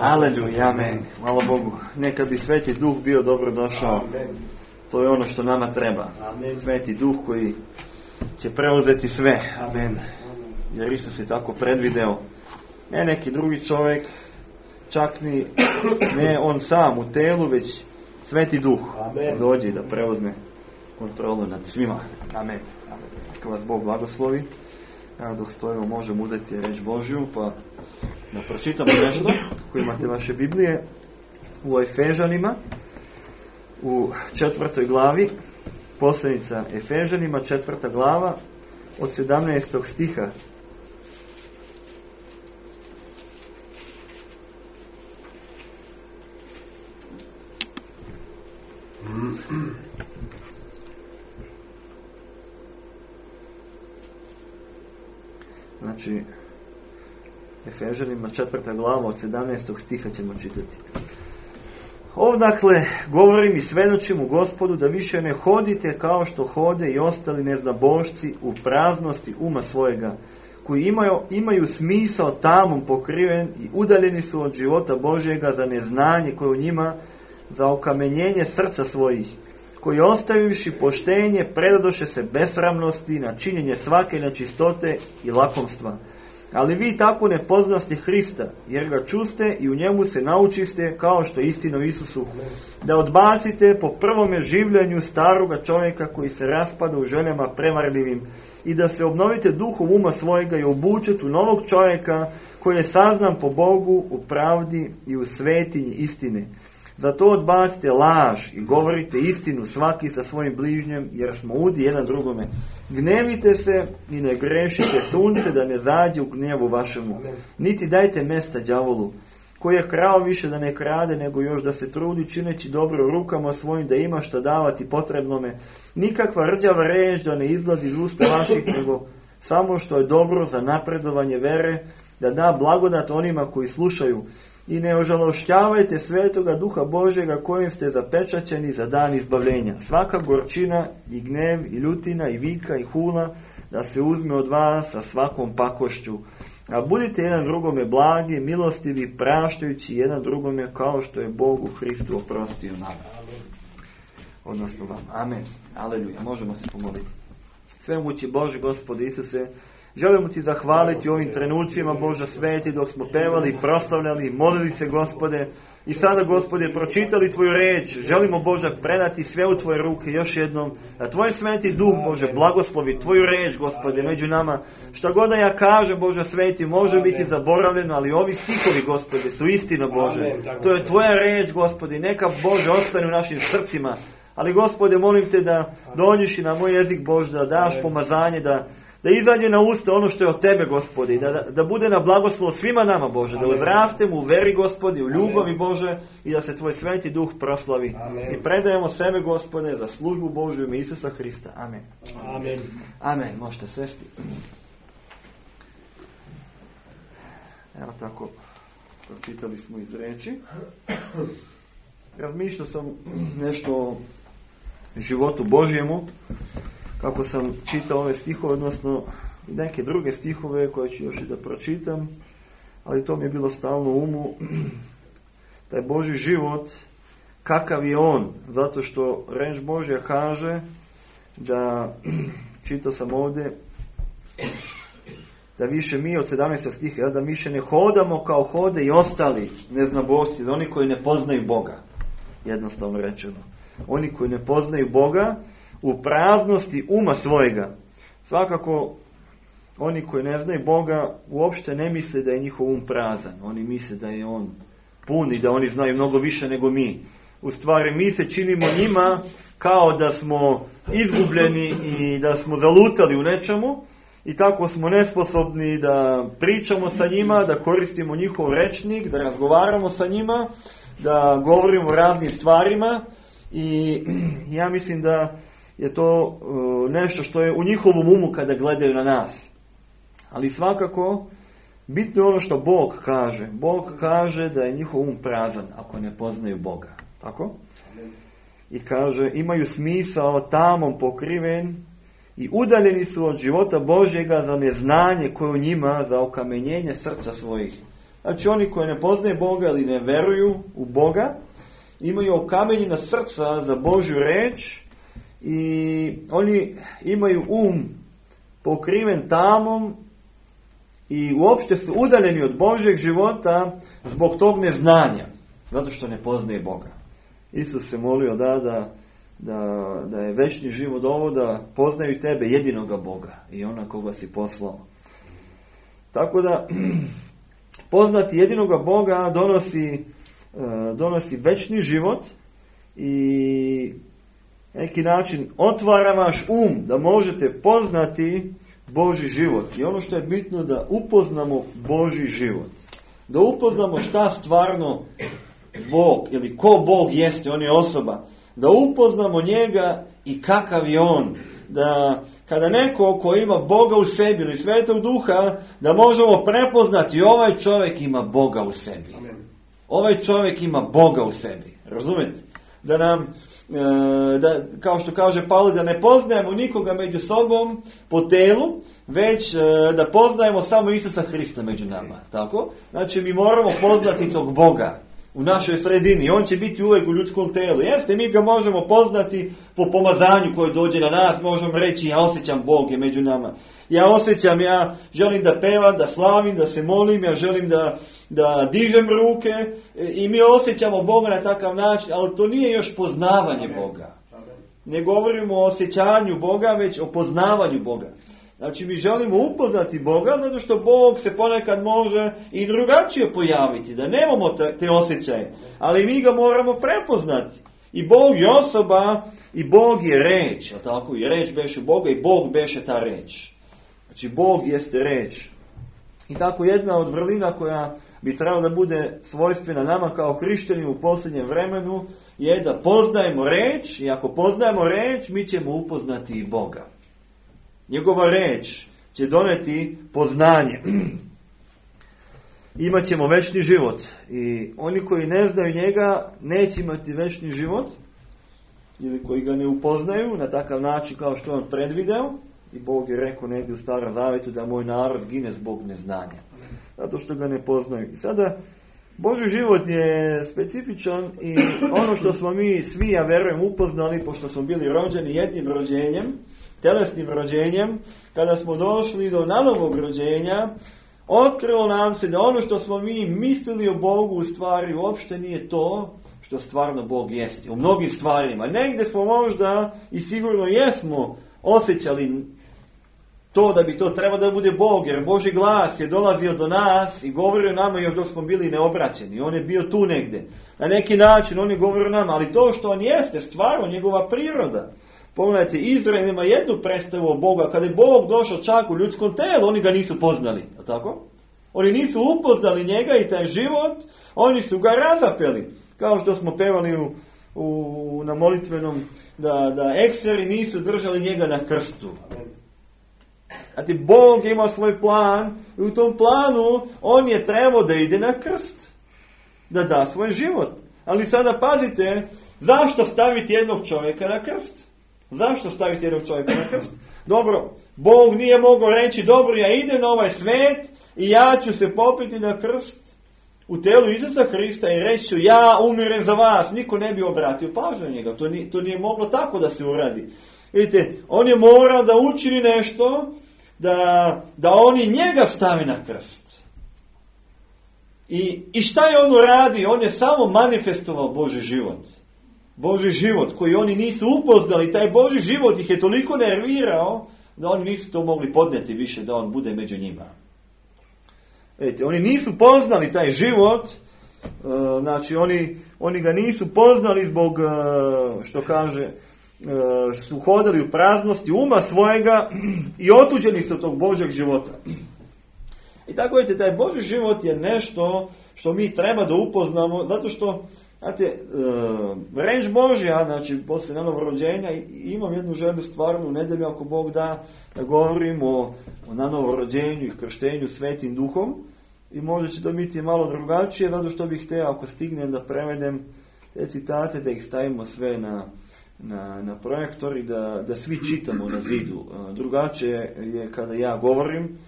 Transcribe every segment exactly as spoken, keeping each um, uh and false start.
Aleluja, amen. Hvala Bogu. Neka bi Sveti Duh bio dobro došao. To je ono što nama treba. Sveti Duh koji će preuzeti sve. Amen. Jer Isus je tako predvideo. Ne neki drugi čovjek, čak ni ne on sam u telu, već Sveti Duh dođe da preuzme kontrolu nad svima. Amen. Neka vas Bog blagoslovi. Evo dok stojimo možemo uzeti reč Božju, pa da pročitamo nešto koji imate vaše Biblije u Efežanima u četvrtoj glavi, poslanica Efežanima, četvrta glava od sedamnaestog stiha. Znači Efežanima četvrta glava od sedamnaestog stiha ćemo čitati. Ovdakle govorim i svedočim u Gospodu da više ne hodite kao što hode i ostali neznabošci u praznosti uma svojega, koji imaju, imaju smisao tamom pokriven i udaljeni su od života Božjega za neznanje koje u njima, za okamenjenje srca svojih, koji ostavivši poštenje predadoše se besramnosti na činjenje svake nečistote i lakomstva. Ali vi tako ne poznaste Hrista, jer ga čuste i u njemu se naučiste kao što je istina u Isusu, da odbacite po prvome življenju staroga čovjeka koji se raspada u željama prevarljivim i da se obnovite duhom uma svojega i obučete u novog čovjeka koji je saznan po Bogu u pravdi i u svetinji istine. Zato odbacite laž i govorite istinu svaki sa svojim bližnjem, jer smo udi jedan drugome. Gnevite se i ne grešite sunce da ne zađe u gnjevu vašemu. Niti dajte mesta đavolu, koji je krao više da ne krade, nego još da se trudi čineći dobro rukama svojim da ima šta davati potrebnome. Nikakva rđava reč da ne izlazi iz usta vaših, nego samo što je dobro za napredovanje vere, da da blagodat onima koji slušaju. I ne ožalošćavajte Svetoga Duha Božjega kojim ste zapečaćeni za dan izbavljenja. Svaka gorčina i gnev i ljutina i vika i hula da se uzme od vas sa svakom pakošću. A budite jedan drugome blagi, milostivi, praštajući jedan drugome kao što je Bog u Hristu oprostio nama. Odnosno vam. Amen. Aleluja. Možemo se pomoliti. Svemogući Bože, Gospode Isuse, želimo ti zahvaliti ovim trenucima, Bože sveti, dok smo pevali, proslavljali, molili se, Gospode, i sada, Gospode, pročitali tvoju reč. Želimo, Bože, predati sve u tvoje ruke još jednom, da tvoj sveti duh, Bože, blagoslovi tvoju reč, Gospode, među nama. Šta god da ja kažem, Bože sveti, može biti zaboravljeno, ali ovi stihovi, Gospode, su istina, Bože. To je tvoja reč, Gospode, neka, Bože, ostane u našim srcima. Ali, Gospode, molim te da dođeš i na moj jezik, Bože, da daš pomazanje, da da izađe na usta ono što je od Tebe, Gospode, i da, da, da bude na blagoslov svima nama, Bože, da uzrastemo u veri, Gospode, u ljubavi, Bože, i da se Tvoj Sveti Duh proslavi. Amen. I predajemo sebe, Gospode, za službu Božju ime Isusa Hrista. Amen. Amen. Amen. Možete sesti. Evo tako, pročitali smo iz reči. Razmišljao sam nešto o životu Božjemu, kako sam čitao ove stihove, odnosno i neke druge stihove koje ću još i da pročitam, ali to mi je bilo stalno u umu, taj Božji život, kakav je on, zato što reč Božja kaže da, čitao sam ovdje, da više mi od sedamnaestog stiha, da mi više ne hodamo kao hode i ostali neznabošci, oni koji ne poznaju Boga, jednostavno rečeno. Oni koji ne poznaju Boga u praznosti uma svojega. Svakako, oni koji ne znaju Boga uopšte ne misle da je njihov um prazan. Oni misle da je on pun i da oni znaju mnogo više nego mi. U stvari, mi se činimo njima kao da smo izgubljeni i da smo zalutali u nečemu i tako smo nesposobni da pričamo sa njima, da koristimo njihov rečnik, da razgovaramo sa njima, da govorimo o raznim stvarima i ja mislim da je to uh, nešto što je u njihovom umu kada gledaju na nas. Ali svakako, bitno je ono što Bog kaže. Bog kaže da je njihov um prazan ako ne poznaju Boga. Tako? I kaže, imaju smisao tamom pokriven i udaljeni su od života Božjega za neznanje koje u njima, za okamenjenje srca svojih. Znači oni koji ne poznaju Boga ili ne veruju u Boga, imaju okamenjena srca za Božju reč i oni imaju um pokriven tamom i uopšte su udaljeni od Božjeg života zbog tog neznanja, zato što ne poznaje Boga. Isus se molio da, da, da, da je večni život ovo, da poznaju Tebe, jedinoga Boga i ona koga si poslao. Tako da, poznati jedinoga Boga donosi, donosi večni život i neki način otvara vaš um da možete poznati Božji život. I ono što je bitno da upoznamo Božji život. Da upoznamo šta stvarno Bog ili ko Bog jeste, on je osoba. Da upoznamo njega i kakav je on. Da kada neko ko ima Boga u sebi ili Svetog Duha, da možemo prepoznati ovaj čovjek ima Boga u sebi. Ovaj čovjek ima Boga u sebi. Razumete? Da nam Da, kao što kaže Pavle, da ne poznajemo nikoga među sobom po telu, već da poznajemo samo Isusa Hrista među nama. Tako? Znači mi moramo poznati tog Boga u našoj sredini. On će biti uvijek u ljudskom telu. Jeste, mi ga možemo poznati po pomazanju koje dođe na nas. Možemo reći, ja osjećam Bog je među nama. Ja osjećam, ja želim da pevam, da slavim, da se molim, ja želim da, da dižem ruke i mi osjećamo Boga na takav način, ali to nije još poznavanje Boga. Ne govorimo o osjećanju Boga, već o poznavanju Boga. Znači mi želimo upoznati Boga, zato što Bog se ponekad može i drugačije pojaviti, da nemamo te, te osjećaje, ali mi ga moramo prepoznati. I Bog je osoba, i Bog je reč, a tako i reč beše Boga i Bog beše ta reč. Znači Bog jeste reč. I tako jedna od vrlina koja bi trebala da bude svojstvena nama kao hrišćani u posljednjem vremenu je da poznajemo reč i ako poznajemo reč mi ćemo upoznati i Boga. Njegova reč će doneti poznanje. Imaćemo večni život i oni koji ne znaju njega neće imati večni život ili koji ga ne upoznaju na takav način kao što on predvideo. I Bog je rekao negdje u Starom Zavetu da moj narod gine zbog neznanja. Zato što ga ne poznaju. I sada, Božji život je specifičan i ono što smo mi svi, ja verujem, upoznali, pošto smo bili rođeni jednim rođenjem, telesnim rođenjem, kada smo došli do nanovog rođenja, otkrilo nam se da ono što smo mi mislili o Bogu u stvari uopšte nije to što stvarno Bog jeste. U mnogim stvarima. Negdje smo možda i sigurno jesmo osjećali to da bi to trebalo da bude Bog, jer Božji glas je dolazio do nas i govorio nama još dok smo bili neobraćeni. On je bio tu negdje. Na neki način on je govorio nama, ali to što on jeste, stvarno njegova priroda, Pogledajte, Izrael ima jednu predstavu o Boga. Kada je Bog došao čak u ljudskom telu, oni ga nisu poznali. Tako? Oni nisu upoznali njega i taj život, oni su ga razapeli. Kao što smo pevali u, u, na molitvenom, da, da ekseri nisu držali njega na krstu. Znate, Bog je imao svoj plan i u tom planu on je trebao da ide na krst. Da da svoj život. Ali sada pazite, zašto staviti jednog čovjeka na krst? Zašto staviti jednog čovjeka na krst? Dobro, Bog nije mogao reći, dobro, ja idem na ovaj svet i ja ću se popiti na krst u telu Isusa Krista i reći ću, ja umirem za vas. Niko ne bi obratio pažnju na njega. To nije, to nije moglo tako da se uradi. Vidite, on je morao da učini nešto, da, da oni njega stavi na krst. I, I šta je on uradio? On je samo manifestovao Božji život. Božji život koji oni nisu upoznali. Taj Božji život ih je toliko nervirao da oni nisu to mogli podnijeti više da on bude među njima. Vidite, oni nisu poznali taj život, znači oni, oni ga nisu poznali zbog, što kaže, su hodali u praznosti uma svojega i otuđeni su od tog Božjeg života. I tako vidite, taj Božji život je nešto što mi treba da upoznamo, zato što, znate, reč Božja, znači poslije novorođenja, imam jednu želju stvarno u nedelju, ako Bog da, da govorim o, o nanovorođenju i krštenju Svetim Duhom, i možda će to biti malo drugačije, zato što bih htio, ako stignem, da prevedem te citate, da ih stavimo sve na, na, na projektor i da, da svi čitamo na zidu. Drugačije je kada ja govorim,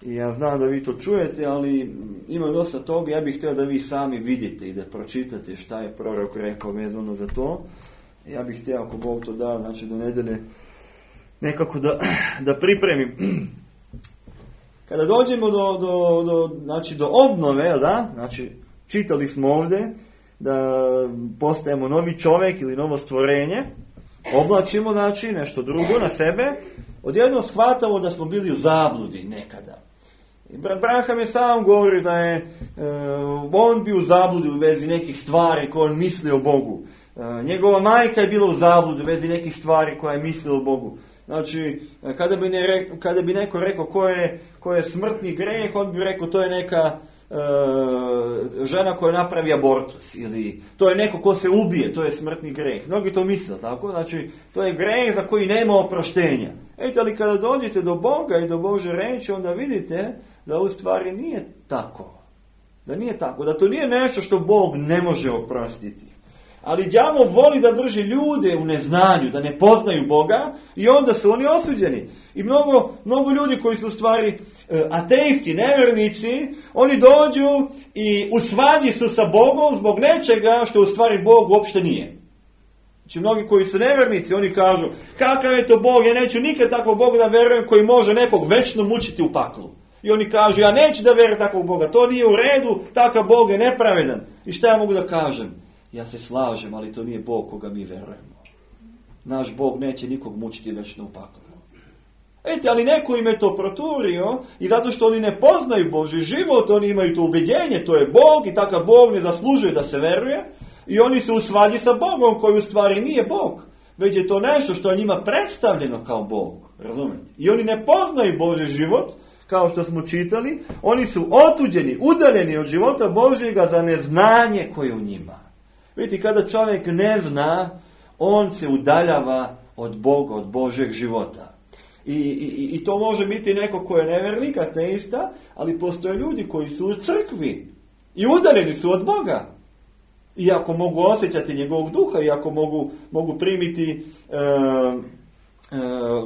i ja znam da vi to čujete, ali ima dosta toga, ja bih htio da vi sami vidite i da pročitate šta je prorok rekao vezano za to. Ja bih htio, ako Bog to da, znači do nedelje nekako da, da pripremim. Kada dođemo do, do, do, znači do obnove, da? Znači čitali smo ovdje da postajemo novi čovjek ili novo stvorenje, oblačimo znači nešto drugo na sebe, odjednom shvatamo da smo bili u zabludi nekada. Brat Branham je sam govorio da je e, on bio u zabludi u vezi nekih stvari koje on misli o Bogu. E, njegova majka je bila u zabludi u vezi nekih stvari koje je mislila o Bogu. Znači, kada bi, ne, kada bi neko rekao ko je, ko je smrtni greh, on bi rekao to je neka e, žena koja napravi abortus, ili to je neko ko se ubije, to je smrtni greh. Mnogi to misle, tako? Znači, to je greh za koji nema oproštenja. Ejte, ali kada dođete do Boga i do Bože reči, onda vidite da u stvari nije tako. Da nije tako, da to nije nešto što Bog ne može oprostiti. Ali đavo voli da drži ljude u neznanju, da ne poznaju Boga, i onda su oni osuđeni. I mnogo, mnogo ljudi koji su u stvari ateisti, nevjernici, oni dođu i u svađi su sa Bogom zbog nečega što u stvari Bog uopšte nije. Znači mnogi koji su nevjernici, oni kažu, kakav je to Bog, ja neću nikad takvog Boga da verujem koji može nekog večno mučiti u paklu. I oni kažu, ja neću da verujem takvog Boga, to nije u redu, takav Bog je nepravedan. I šta ja mogu da kažem? Ja se slažem, ali to nije Bog koga mi verujemo. Naš Bog neće nikog mučiti večno u paklu. Ejte, ali neko im je to proturio i zato što oni ne poznaju Božji život, oni imaju to ubeđenje, to je Bog i takav Bog ne zaslužuje da se veruje, i oni su u svađi sa Bogom koji u stvari nije Bog, već je to nešto što je njima predstavljeno kao Bog. Razumijete? I oni ne poznaju Božji život, kao što smo čitali, oni su otuđeni, udaljeni od života Božjega za neznanje koje je u njima. Vidite, kada čovjek ne zna, on se udaljava od Boga, od Božjeg života. I, i, i to može biti neko ko je nevjernik, ateista, ali postoje ljudi koji su u crkvi i udaljeni su od Boga. Iako mogu osjećati njegovog duha, iako mogu, mogu primiti e, e,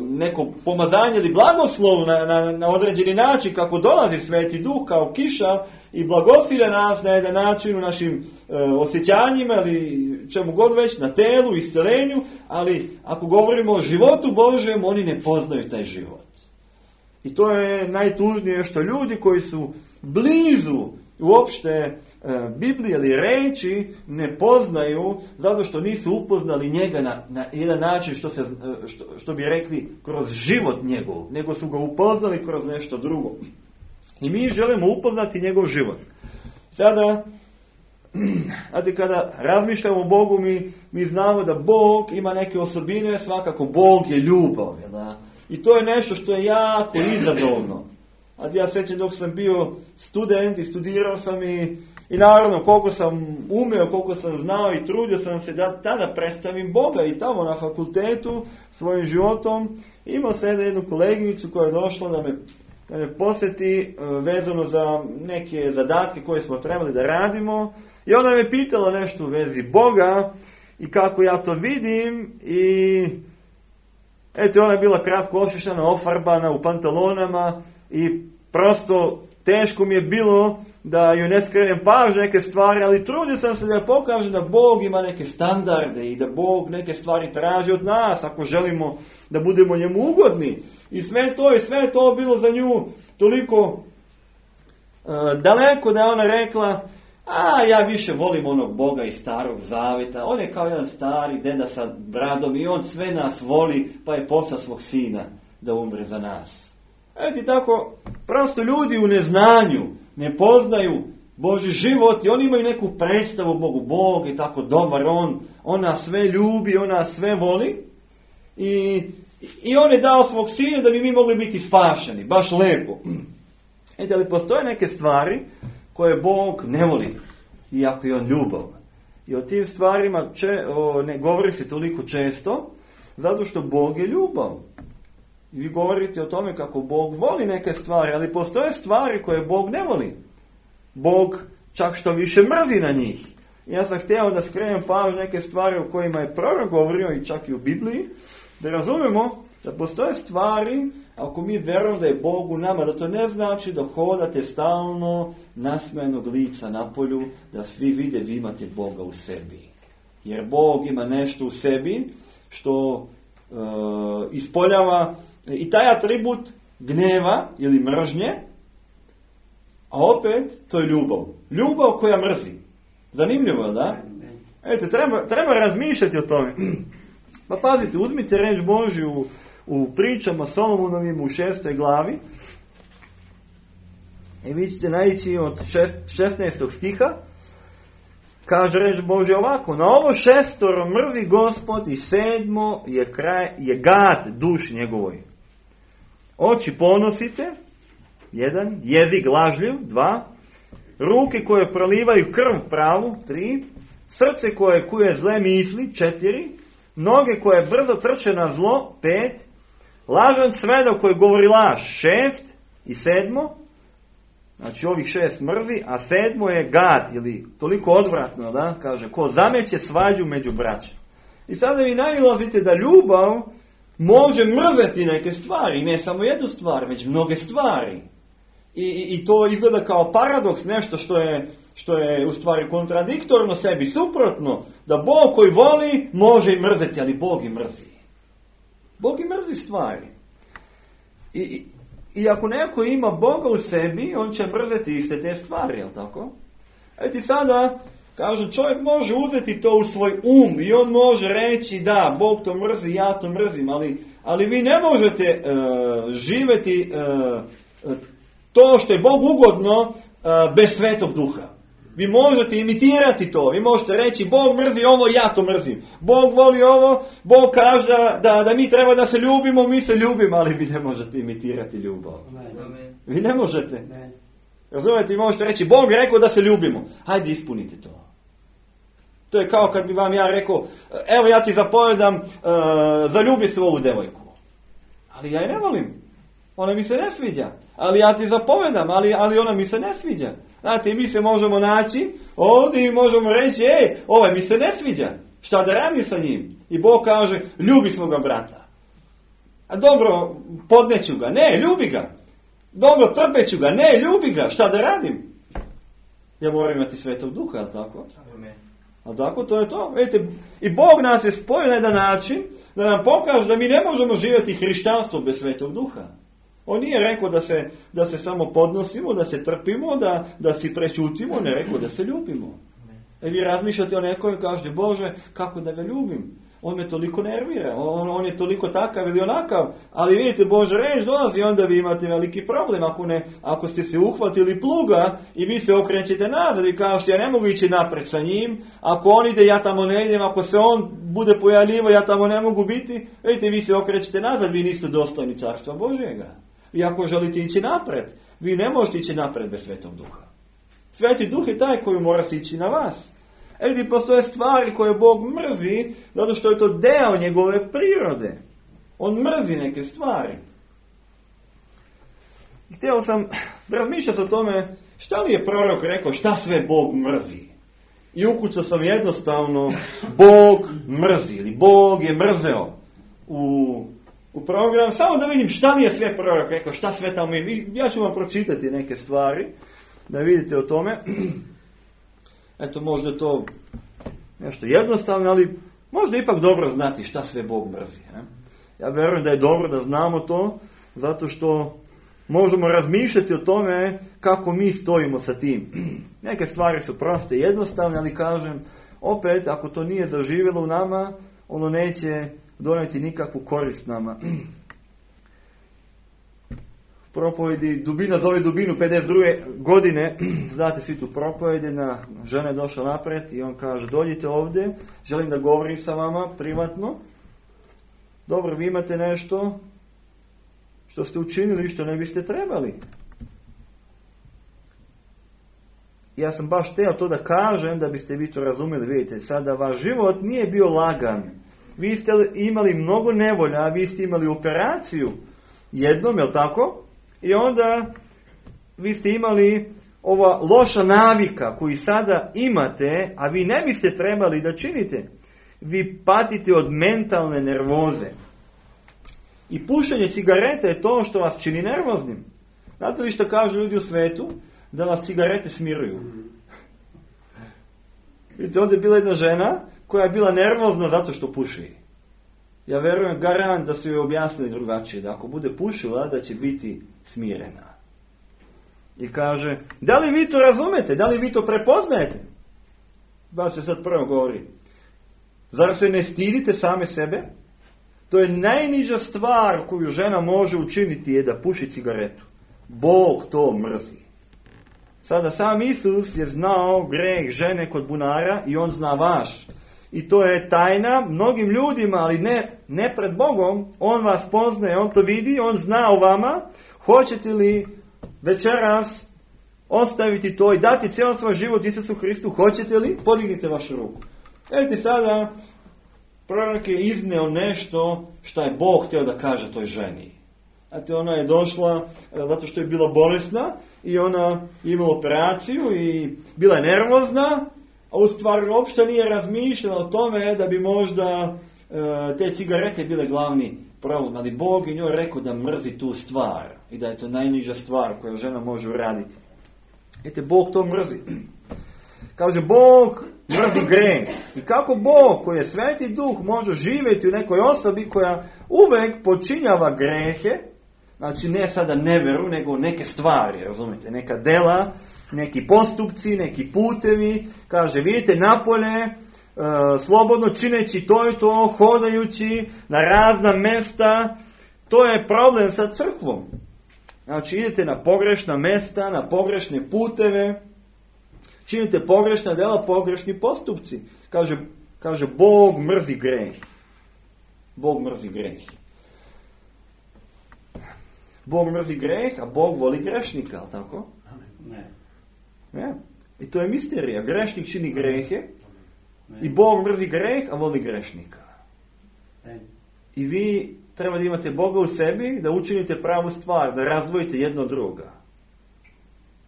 neko pomazanje ili blagoslov na, na, na određeni način, kako dolazi Sveti Duh kao kiša i blagosilja nas na jedan način u našim e, osjećanjima ili čemu god već, na telu, iscelenju, ali ako govorimo o životu Božjem, oni ne poznaju taj život. I to je najtužnije što ljudi koji su blizu uopšte e, Biblije ili reči ne poznaju, zato što nisu upoznali njega na, na jedan način što, se, što, što bi rekli kroz život njegov, nego su ga upoznali kroz nešto drugo. I mi želimo upoznati njegov život. Sada, Znate, kada razmišljamo o Bogu, mi, mi znamo da Bog ima neke osobine, svakako Bog je ljubav. Da? I to je nešto što je jako izazovno. A ja sećam dok sam bio student i studirao sam i, i naravno koliko sam umeo, koliko sam znao i trudio sam se da tada predstavim Boga i tamo na fakultetu svojim životom. Imao sam jednu koleginicu koja je došla da me, da me posjeti vezano za neke zadatke koje smo trebali da radimo. I ona me pitala nešto u vezi Boga i kako ja to vidim i eto, ona je bila kratko ošišana, ofarbana u pantalonama i prosto teško mi je bilo da joj ne skrenem pažnju neke stvari, ali trudio sam se da pokažem da Bog ima neke standarde i da Bog neke stvari traži od nas ako želimo da budemo njemu ugodni. I sve to i sve to bilo za nju toliko uh, daleko da je ona rekla: a ja više volim onog Boga iz Starog Zaveta, on je kao jedan stari deda sa bradom i on sve nas voli, pa je poslao svog sina da umre za nas. Eto i tako, prosto ljudi u neznanju ne poznaju Božji život i oni imaju neku predstavu o Bogu. Bog je tako dobar, on, on nas sve ljubi, on nas sve voli i, i on je dao svog sina da bi mi mogli biti spašeni, baš lepo. Eto, ali postoje neke stvari koje Bog ne voli, iako je on ljubav. I o tim stvarima če, o, ne govori se toliko često, zato što Bog je ljubav. I vi govorite o tome kako Bog voli neke stvari, ali postoje stvari koje Bog ne voli. Bog čak što više mrzi na njih. I ja sam htio da skrenem pažnju neke stvari o kojima je prorok govorio i čak i u Bibliji, da razumemo da postoje stvari, ako mi verujemo da je Bog u nama, da to ne znači da hodate stalno nasmejanog lica na polju, da svi vide vi imate Boga u sebi. Jer Bog ima nešto u sebi što e, ispoljava i taj atribut gneva ili mržnje, a opet to je ljubav. Ljubav koja mrzi. Zanimljivo, da? Eto, treba, treba razmišljati o tome. Pa pazite, uzmite reč Božju u pričama Solomonovim u šestoj glavi i vi ćete naići od šesnaestog stiha. Kaže reč Božja ovako: na ovo šestoro mrzi Gospod i sedmo je, kraj, je gad duši njegovoj. Oči ponosite, jedan, jezik lažljiv, dva, ruke koje prolivaju krv pravu, tri, srce koje kuje zle misli, četiri, noge koje brzo trče na zlo, pet, lažan svedok koji govori laž, šest i sedmo, znači ovih šest mrzi, a sedmo je gad, ili toliko odvratno, da, kaže, ko zameće svađu među braćom. I sada vi nailazite da ljubav može mrzeti neke stvari, ne samo jednu stvar, već mnoge stvari. I, i, i to izgleda kao paradoks, nešto što je, što je u stvari kontradiktorno sebi, suprotno, da Bog koji voli može i mrzeti, ali Bog i mrzi. Bog i mrzi stvari. I, i, i ako neko ima Boga u sebi, on će mrzeti iste te stvari, jel tako? Eti sada, kažem, čovjek može uzeti to u svoj um i on može reći da, Bog to mrzi, ja to mrzim, ali, ali vi ne možete uh, živjeti uh, to što je Bog ugodno uh, bez Svetog Duha. Vi možete imitirati to, vi možete reći Bog mrzi ovo, ja to mrzim. Bog voli ovo, Bog kaže da, da, da mi treba da se ljubimo, mi se ljubimo, ali vi ne možete imitirati ljubav. Amen. Vi ne možete. Ne. Razumijete, vi možete reći Bog rekao da se ljubimo. Hajde ispunite to. To je kao kad bi vam ja rekao, evo ja ti zapovedam, uh, zaljubi se u ovu devojku. Ali ja je ne volim. Ona mi se ne sviđa. Ali ja ti zapovedam, ali, ali ona mi se ne sviđa. Znate, mi se možemo naći ovdje i možemo reći, ej, ovaj mi se ne sviđa. Šta da radim sa njim? I Bog kaže, ljubi svoga brata. A dobro, podneću ga. Ne, ljubi ga. Dobro, trpeću ga. Ne, ljubi ga. Šta da radim? Ja moram imati Svetog Duha, ali tako? Amen. Ali tako, to je to. Vidite, i Bog nas je spojio na jedan način da nam pokaže da mi ne možemo živjeti hrišćanstvo bez Svetog Duha. On nije rekao da se, da se samo podnosimo, da se trpimo, da, da si prečutimo, ne rekao da se ljubimo. E vi razmišljate o nekoj i kažete, Bože, kako da ga ljubim? on me toliko nervira, on, on je toliko takav ili onakav, ali vidite, Božja reč dolazi, onda vi imate veliki problem, ako, ne, ako ste se uhvatili pluga i vi se okrećete nazad i kažete, ja ne mogu ići napred sa njim, ako on ide, ja tamo ne idem, ako se on bude pojavljivo, ja tamo ne mogu biti, vidite, vi se okrećete nazad, vi niste dostojni carstva Božjega. I ako želite ići napred, vi ne možete ići napred bez Svetog Duha. Sveti Duh je taj koji mora se ići na vas. E gdje postoje stvari koje Bog mrzi, zato što je to deo njegove prirode. On mrzi neke stvari. I htio sam razmišljati o tome, šta li je prorok rekao, šta sve Bog mrzi. I ukucao sam jednostavno, Bog mrzi, ili Bog je mrzeo u, u program, samo da vidim šta li je sve prorok rekao, šta sve tamo je. Ja ću vam pročitati neke stvari, da vidite o tome. Eto, možda je to nešto jednostavno, ali možda ipak dobro znati šta sve Bog mrzi. Ne? Ja vjerujem da je dobro da znamo to, zato što možemo razmišljati o tome kako mi stojimo sa tim. Neke stvari su proste i jednostavne, ali kažem, opet, ako to nije zaživjelo u nama, ono neće donijeti nikakvu korist nama. Propovedi, dubina zove dubinu, pedeset druge godine, znate svi tu propovedi, na žena je došla napred i on kaže, dođite ovdje, želim da govorim sa vama privatno. Dobro, vi imate nešto što ste učinili što ne biste trebali. Ja sam baš teo to da kažem, da biste vi to razumjeli. Vidite, sada vaš život nije bio lagan. Vi ste imali mnogo nevolja, vi ste imali operaciju jednom, jel tako? I onda vi ste imali ova loša navika koju sada imate, a vi ne biste trebali da činite. Vi patite od mentalne nervoze. I pušenje cigareta je to što vas čini nervoznim. Znate li što kažu ljudi u svetu? Da vas cigarete smiruju. Vidite, ovdje je bila jedna žena koja je bila nervozna zato što puši. Ja vjerujem garant da su joj objasnili drugačije, da ako bude pušila, da će biti smirena. I kaže, da li vi to razumete? Da li vi to prepoznajete? Baš se sad prvo govori. Zar se ne stidite same sebe? To je najniža stvar koju žena može učiniti je da puši cigaretu. Bog to mrzi. Sada sam Isus je znao greh žene kod bunara i on zna vaš. I to je tajna mnogim ljudima, ali ne, ne pred Bogom. On vas poznaje, on to vidi, on zna o vama. Hoćete li večeras ostaviti to i dati cijel svoj život Isusu Hristu? Hoćete li? Podignite vašu ruku. Vidite sada, prorok je izneo nešto što je Bog htio da kaže toj ženi. Znate, ona je došla zato što je bila bolesna i ona imala operaciju i bila je nervozna, a u stvari uopšte nije razmišljala o tome da bi možda e, te cigarete bile glavni problem, ali Bog je njoj rekao da mrzi tu stvar i da je to najniža stvar koju žena može uraditi. Vidite, Bog to mrzi. Kaže, Bog mrzi greh. I kako Bog, koji je Sveti Duh, može živjeti u nekoj osobi koja uvek počinjava grehe, znači ne sada neveru, nego neke stvari, razumijete, neka dela, neki postupci, neki putevi, kaže, vidite, napolje, e, slobodno čineći to i to, hodajući na razna mesta, to je problem sa crkvom. Znači, idete na pogrešna mesta, na pogrešne puteve, činite pogrešna dela, pogrešni postupci. Kaže, kaže Bog mrzi greh. Bog mrzi greh. Bog mrzi greh, a Bog voli grešnika, ali tako? Ne. Ne. I to je misterija. Grešnik čini grehe i Bog mrzi greh, a voli grešnika. Ne. I vi treba da imate Boga u sebi, da učinite pravu stvar, da razdvojite jedno od druga.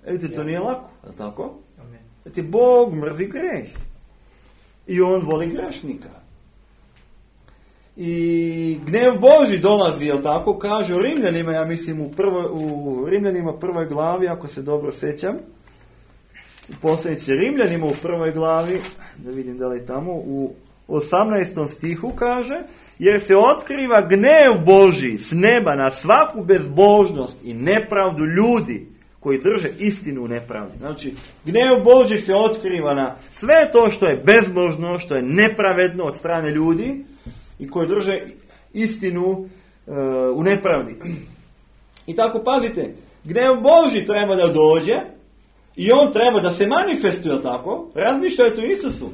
Vidite, to nije lako, ali tako? Znači, Bog mrzi greh. I on voli grešnika. I gnev Božji dolazi, jel tako, kaže u Rimljanima, ja mislim u, prvo, u Rimljanima prvoj glavi, ako se dobro sećam, u poslanici Rimljanima u prvoj glavi, da vidim da li je tamo, u osamnaestom stihu kaže, jer se otkriva gnev Božji s neba na svaku bezbožnost i nepravdu ljudi koji drže istinu u nepravdi. Znači, gnev Božji se otkriva na sve to što je bezbožno, što je nepravedno od strane ljudi i koji drže istinu uh, u nepravdi. I tako pazite, gnev Božji treba da dođe i on treba da se manifestuje, tako? Razmišljajte o Isusu.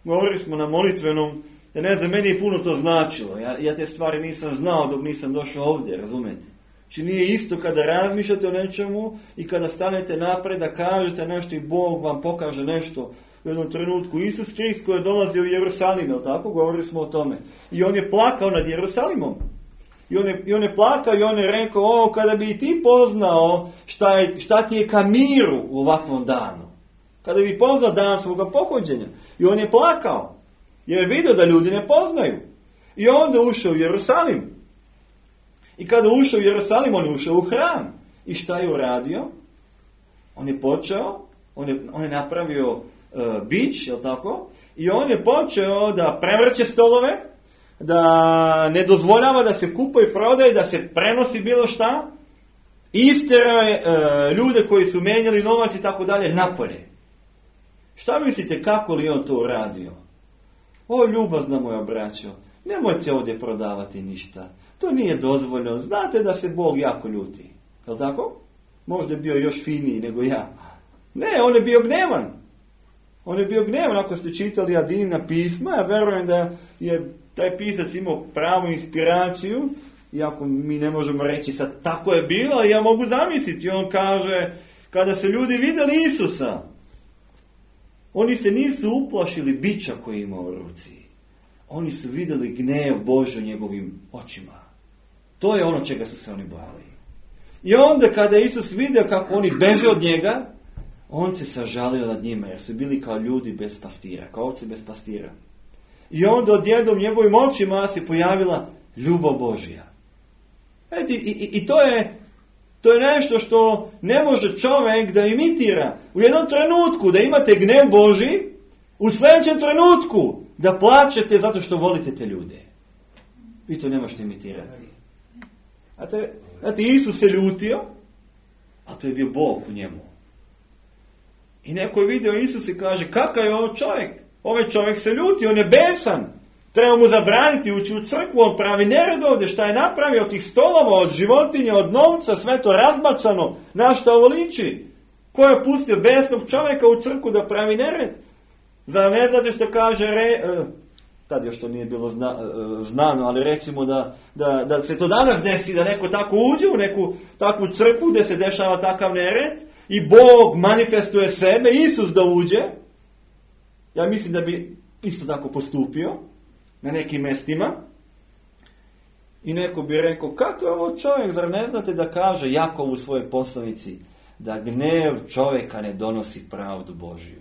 Govorili smo na molitvenom, ja ne znam, meni je puno to značilo. Ja, ja te stvari nisam znao dok nisam došao ovdje, razumete? Či nije isto kada razmišljate o nečemu i kada stanete napred da kažete nešto i Bog vam pokaže nešto u jednom trenutku. Isus Krist koji je dolazio u Jerusalim, jel tako? Govorili smo o tome. I on je plakao nad Jerusalimom. I on je, i on je plakao i on je rekao, o, kada bi ti poznao šta, je, šta ti je ka miru u ovakvom danu. Kada bi poznao dan svoga pohođenja. I on je plakao. Jer je vidio da ljudi ne poznaju. I onda ušao u Jerusalim. I kada ušao u Jerusalim, on je ušao u hram. I šta je uradio? On je počeo, on je, on je napravio uh, bič, jel tako? I on je počeo da prevrće stolove, da ne dozvoljava da se kupuje i prodaje, da se prenosi bilo šta. Isterao je uh, ljude koji su menjali novac i tako dalje napolje. Šta mislite kako li on to uradio? O, ljubazna moja braćo, nemojte ovdje prodavati ništa. To nije dozvoljeno. Znate da se Bog jako ljuti. Je li tako? Možda je bio još finiji nego ja. Ne, on je bio gnevan. On je bio gnevan. Ako ste čitali Adinina pisma, ja verujem da je taj pisac imao pravu inspiraciju. Iako mi ne možemo reći sad tako je bilo, ja mogu zamisliti. On kaže, kada se ljudi vidjeli Isusa, oni se nisu uplašili bića koji ima u ruci. Oni su vidjeli gnev Božji u njegovim očima. To je ono čega su se oni bojali. I onda kada Isus vidio kako oni beže od njega, on se sažalio nad njima, jer su bili kao ljudi bez pastira, kao ovce bez pastira. I onda odjednom njegovim očima se pojavila ljubav Božja. Eti, i, i, I to je to je nešto što ne može čovjek da imitira. U jednom trenutku da imate gnev Božji, u sljedećem trenutku da plačete zato što volite te ljude. Vi to ne možete imitirati. Znate, znate, Isus se ljutio, a to je bio Bog u njemu. I neko je vidio Isus i kaže, kakav je ovo čovjek? Ovaj čovjek se ljuti, on je besan. Treba mu zabraniti ući u crkvu, on pravi nered ovdje, šta je napravio od tih stolova, od životinja, od novca, sve to razbacano, na šta ovo liči? Ko je pustio besnog čovjeka u crkvu da pravi nered? Zar ne znate što kaže, re, uh, tad još to nije bilo zna, uh, znano, ali recimo da, da, da se to danas desi, da neko tako uđe u neku takvu crkvu gdje se dešava takav nered i Bog manifestuje sebe, Isus da uđe, ja mislim da bi isto tako postupio na nekim mjestima i neko bi rekao, kako je ovo čovjek, zar ne znate da kaže Jakov u svojoj poslanici da gnev čovjeka ne donosi pravdu Božju.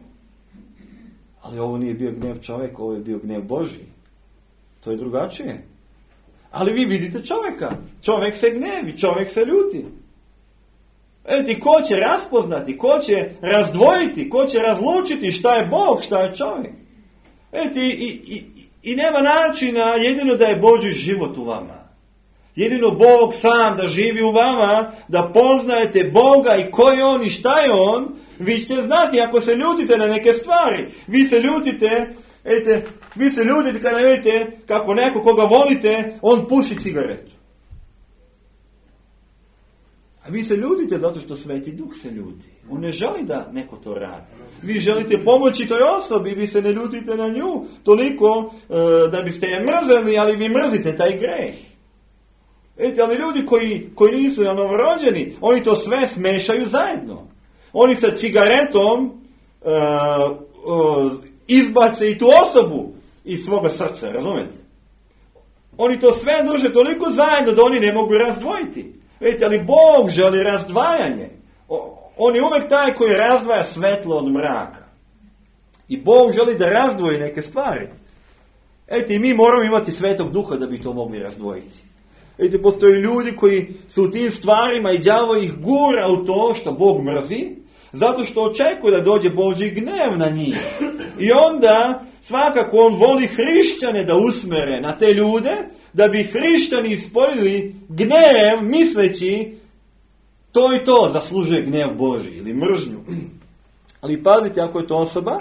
Ali ovo nije bio gnev čovjeka, ovo je bio gnev Božji. To je drugačije. Ali vi vidite čovjeka. Čovjek se gnevi, čovjek se ljuti. Vidite, ko će raspoznati, ko će razdvojiti, ko će razlučiti šta je Bog, šta je čovjek. Vidite, i, i, i nema načina jedino da je Božji život u vama. Jedino Bog sam da živi u vama, da poznajete Boga i ko je On i šta je On. Vi ćete znati ako se ljutite na neke stvari. Vi se ljutite, ete, vi se ljutite kada vidite kako neko koga volite, on puši cigaretu. A vi se ljutite zato što Sveti Duh se ljuti. On ne želi da neko to radi. Vi želite pomoći toj osobi, vi se ne ljutite na nju toliko e, da biste je mrzeli, ali vi mrzite taj greh. Vidite, ali ljudi koji, koji nisu novorođeni, oni to sve smešaju zajedno. Oni sa cigaretom uh, uh, izbace i tu osobu iz svoga srca, razumete? Oni to sve drže toliko zajedno da oni ne mogu razdvojiti. Vidite, ali Bog želi razdvajanje. O, on je uvijek taj koji razdvaja svetlo od mraka. I Bog želi da razdvoji neke stvari. Vidite, i mi moramo imati Svetog Duha da bi to mogli razdvojiti. Vidite, postoje ljudi koji su u tim stvarima i đavo ih gura u to što Bog mrzi, zato što očekuje da dođe Božji gnev na njih. I onda svakako on voli hrišćane da usmere na te ljude, da bi hrišćani ispoljili gnev misleći to i to zaslužuje gnjev Božji ili mržnju. Ali pazite, ako je to osoba,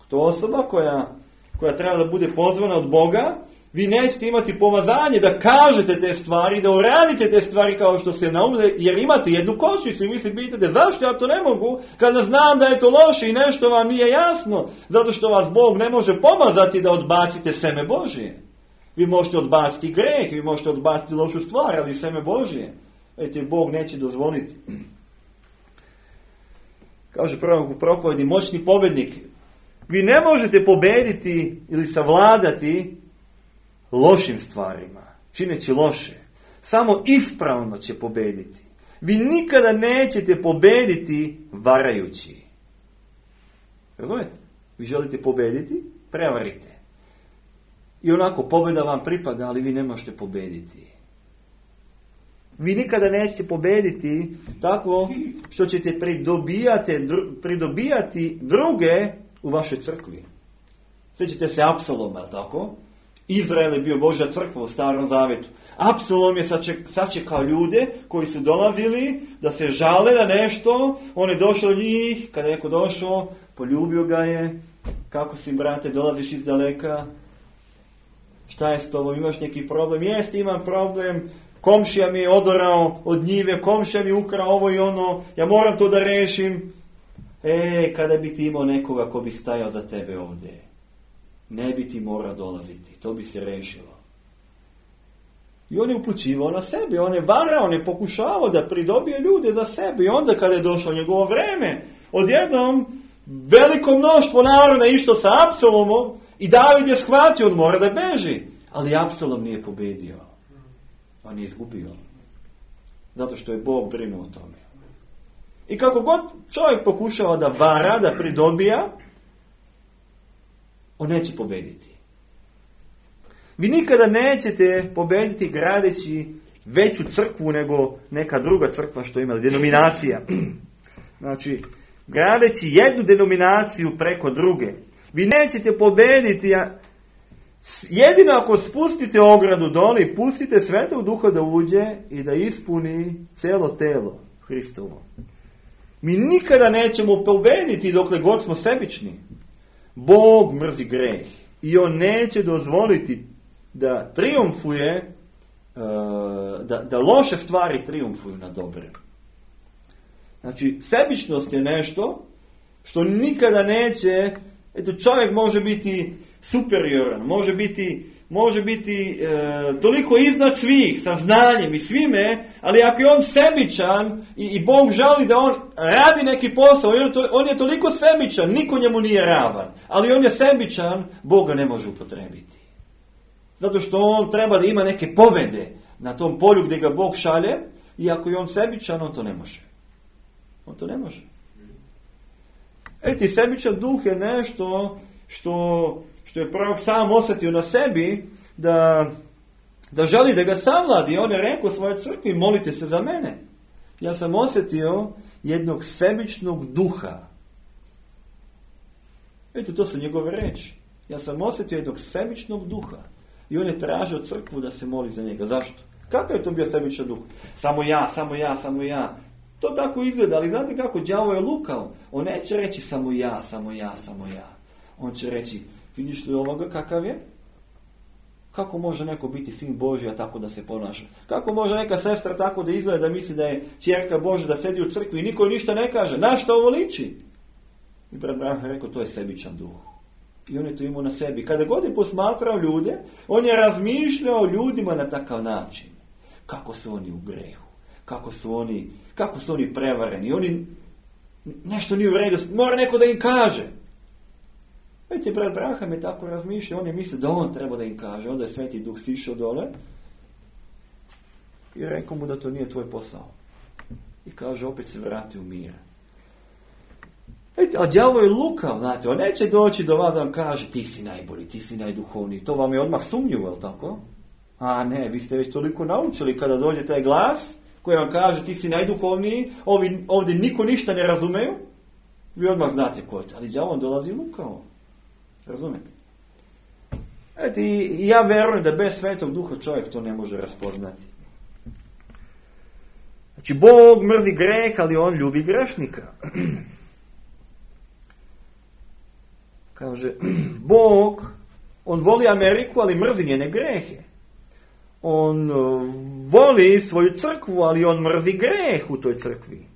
to osoba koja, koja treba da bude pozvana od Boga, vi nećete imati pomazanje da kažete te stvari, da uradite te stvari kao što se naumile, jer imate jednu kočicu i vi se pitate zašto ja to ne mogu, kada znam da je to loše i nešto vam nije jasno, zato što vas Bog ne može pomazati da odbacite seme Božje. Vi možete odbaciti greh, vi možete odbaciti lošu stvar, ali seme Božje. Vidite, Bog neće dozvoliti. Kaže prvo u propovedi, moćni pobjednik, vi ne možete pobediti ili savladati lošim stvarima, čineći loše. Samo ispravno će pobediti. Vi nikada nećete pobediti varajući. Razumijete? Vi želite pobediti, prevarite. I onako pobjeda vam pripada, ali vi ne možete pobediti. Vi nikada nećete pobediti tako što ćete pridobijati, pridobijati druge u vašoj crkvi. Sjećate se Apsaloma, tako? Izrael je bio Božja crkva u Starom Zavetu. Apsalom je sačekao ljude koji su dolazili da se žale na nešto. On je došao do njih, kada je neko došao, poljubio ga je. Kako si, brate, dolaziš iz daleka? Šta je s tobom? Imaš neki problem? Jeste, imam problem. Komšija mi je odorao od njive, komšija mi je ukrao ovo i ono. Ja moram to da rešim. E, kada bi ti imao nekoga ko bi stajao za tebe ovdje, ne bi ti morao dolaziti. To bi se rešilo. I on je upućivao na sebe. On je varao, on je pokušavao da pridobije ljude za sebe. I onda kada je došlo njegovo vreme, odjednom veliko mnoštvo naroda išlo sa Apsalomom i David je shvatio, on mora da beži. Ali Apsalom nije pobedio. On je izgubio. Zato što je Bog brinuo o tome. I kako god čovjek pokušava da vara, da pridobija, on neće pobediti. Vi nikada nećete pobediti gradeći veću crkvu nego neka druga crkva što ima, denominacija. Znači, gradeći jednu denominaciju preko druge. Vi nećete pobediti, jedino ako spustite ogradu dole i pustite Svetog Duha da uđe i da ispuni cijelo telo Hristovo. Mi nikada nećemo pobediti dokle god smo sebični. Bog mrzi greh i on neće dozvoliti da triumfuje, da, da loše stvari triumfuju na dobre. Znači, sebičnost je nešto što nikada neće, eto, čovjek može biti superioran, može biti, može biti e, toliko iznad svih, sa znanjem i svime, ali ako je on sebičan i, i Bog želi da on radi neki posao, on je, to, on je toliko sebičan, niko njemu nije ravan, ali on je sebičan, Bog ga ne može upotrebiti. Zato što on treba da ima neke pobjede na tom polju gdje ga Bog šalje, i ako je on sebičan, on to ne može. On to ne može. Eti, sebičan duh je nešto što, što je prorok sam osjetio na sebi, da, da želi da ga savladi. On je rekao svojoj crkvi, molite se za mene. Ja sam osjetio jednog sebičnog duha. Eto, to su njegove reči. Ja sam osjetio jednog sebičnog duha. I on je tražio crkvu da se moli za njega. Zašto? Kakav je to bio sebičan duh? Samo ja, samo ja, samo ja. To tako izgleda, ali znate kako, đavo je lukao. On neće reći samo ja, samo ja, samo ja. On će reći, vidiš li ovoga kakav je? Kako može neko biti sin Božji, a tako da se ponaša? Kako može neka sestra tako da izgleda, da misli da je ćerka Božja, da sedi u crkvi i niko ništa ne kaže? Na što ovo liči? I brat Branha je rekao, to je sebičan duh. I on je to imao na sebi. Kada god je posmatrao ljude, on je razmišljao o ljudima na takav način. Kako su oni u grehu? Kako su oni, kako su oni prevareni? Oni, nešto nije u redu, mora neko da im kaže. Vidite, brat Branham je tako razmišljao, on je mislio da on treba da im kaže. Onda je Sveti Duh sišao dole i rekao mu da to nije tvoj posao. I kaže, opet se vrati u mir. Vidite, a đavo je lukav, znate, on neće doći do vas da vam kaže, ti si najbolji, ti si najduhovniji. To vam je odmah sumnjivo, je li tako? A ne, vi ste već toliko naučili kada dođe taj glas koji vam kaže, ti si najduhovniji, ovi, ovdje niko ništa ne razumeju, vi odmah znate ko je to. Ali đavo on dolazi lukavo. Razumete? Eto, i ja verujem da bez Svetog Duha čovjek to ne može raspoznati. Znači, Bog mrzi greh, ali on ljubi grešnika. Kaže, Bog, on voli Ameriku, ali mrzi njene grehe. On voli svoju crkvu, ali on mrzi greh u toj crkvi.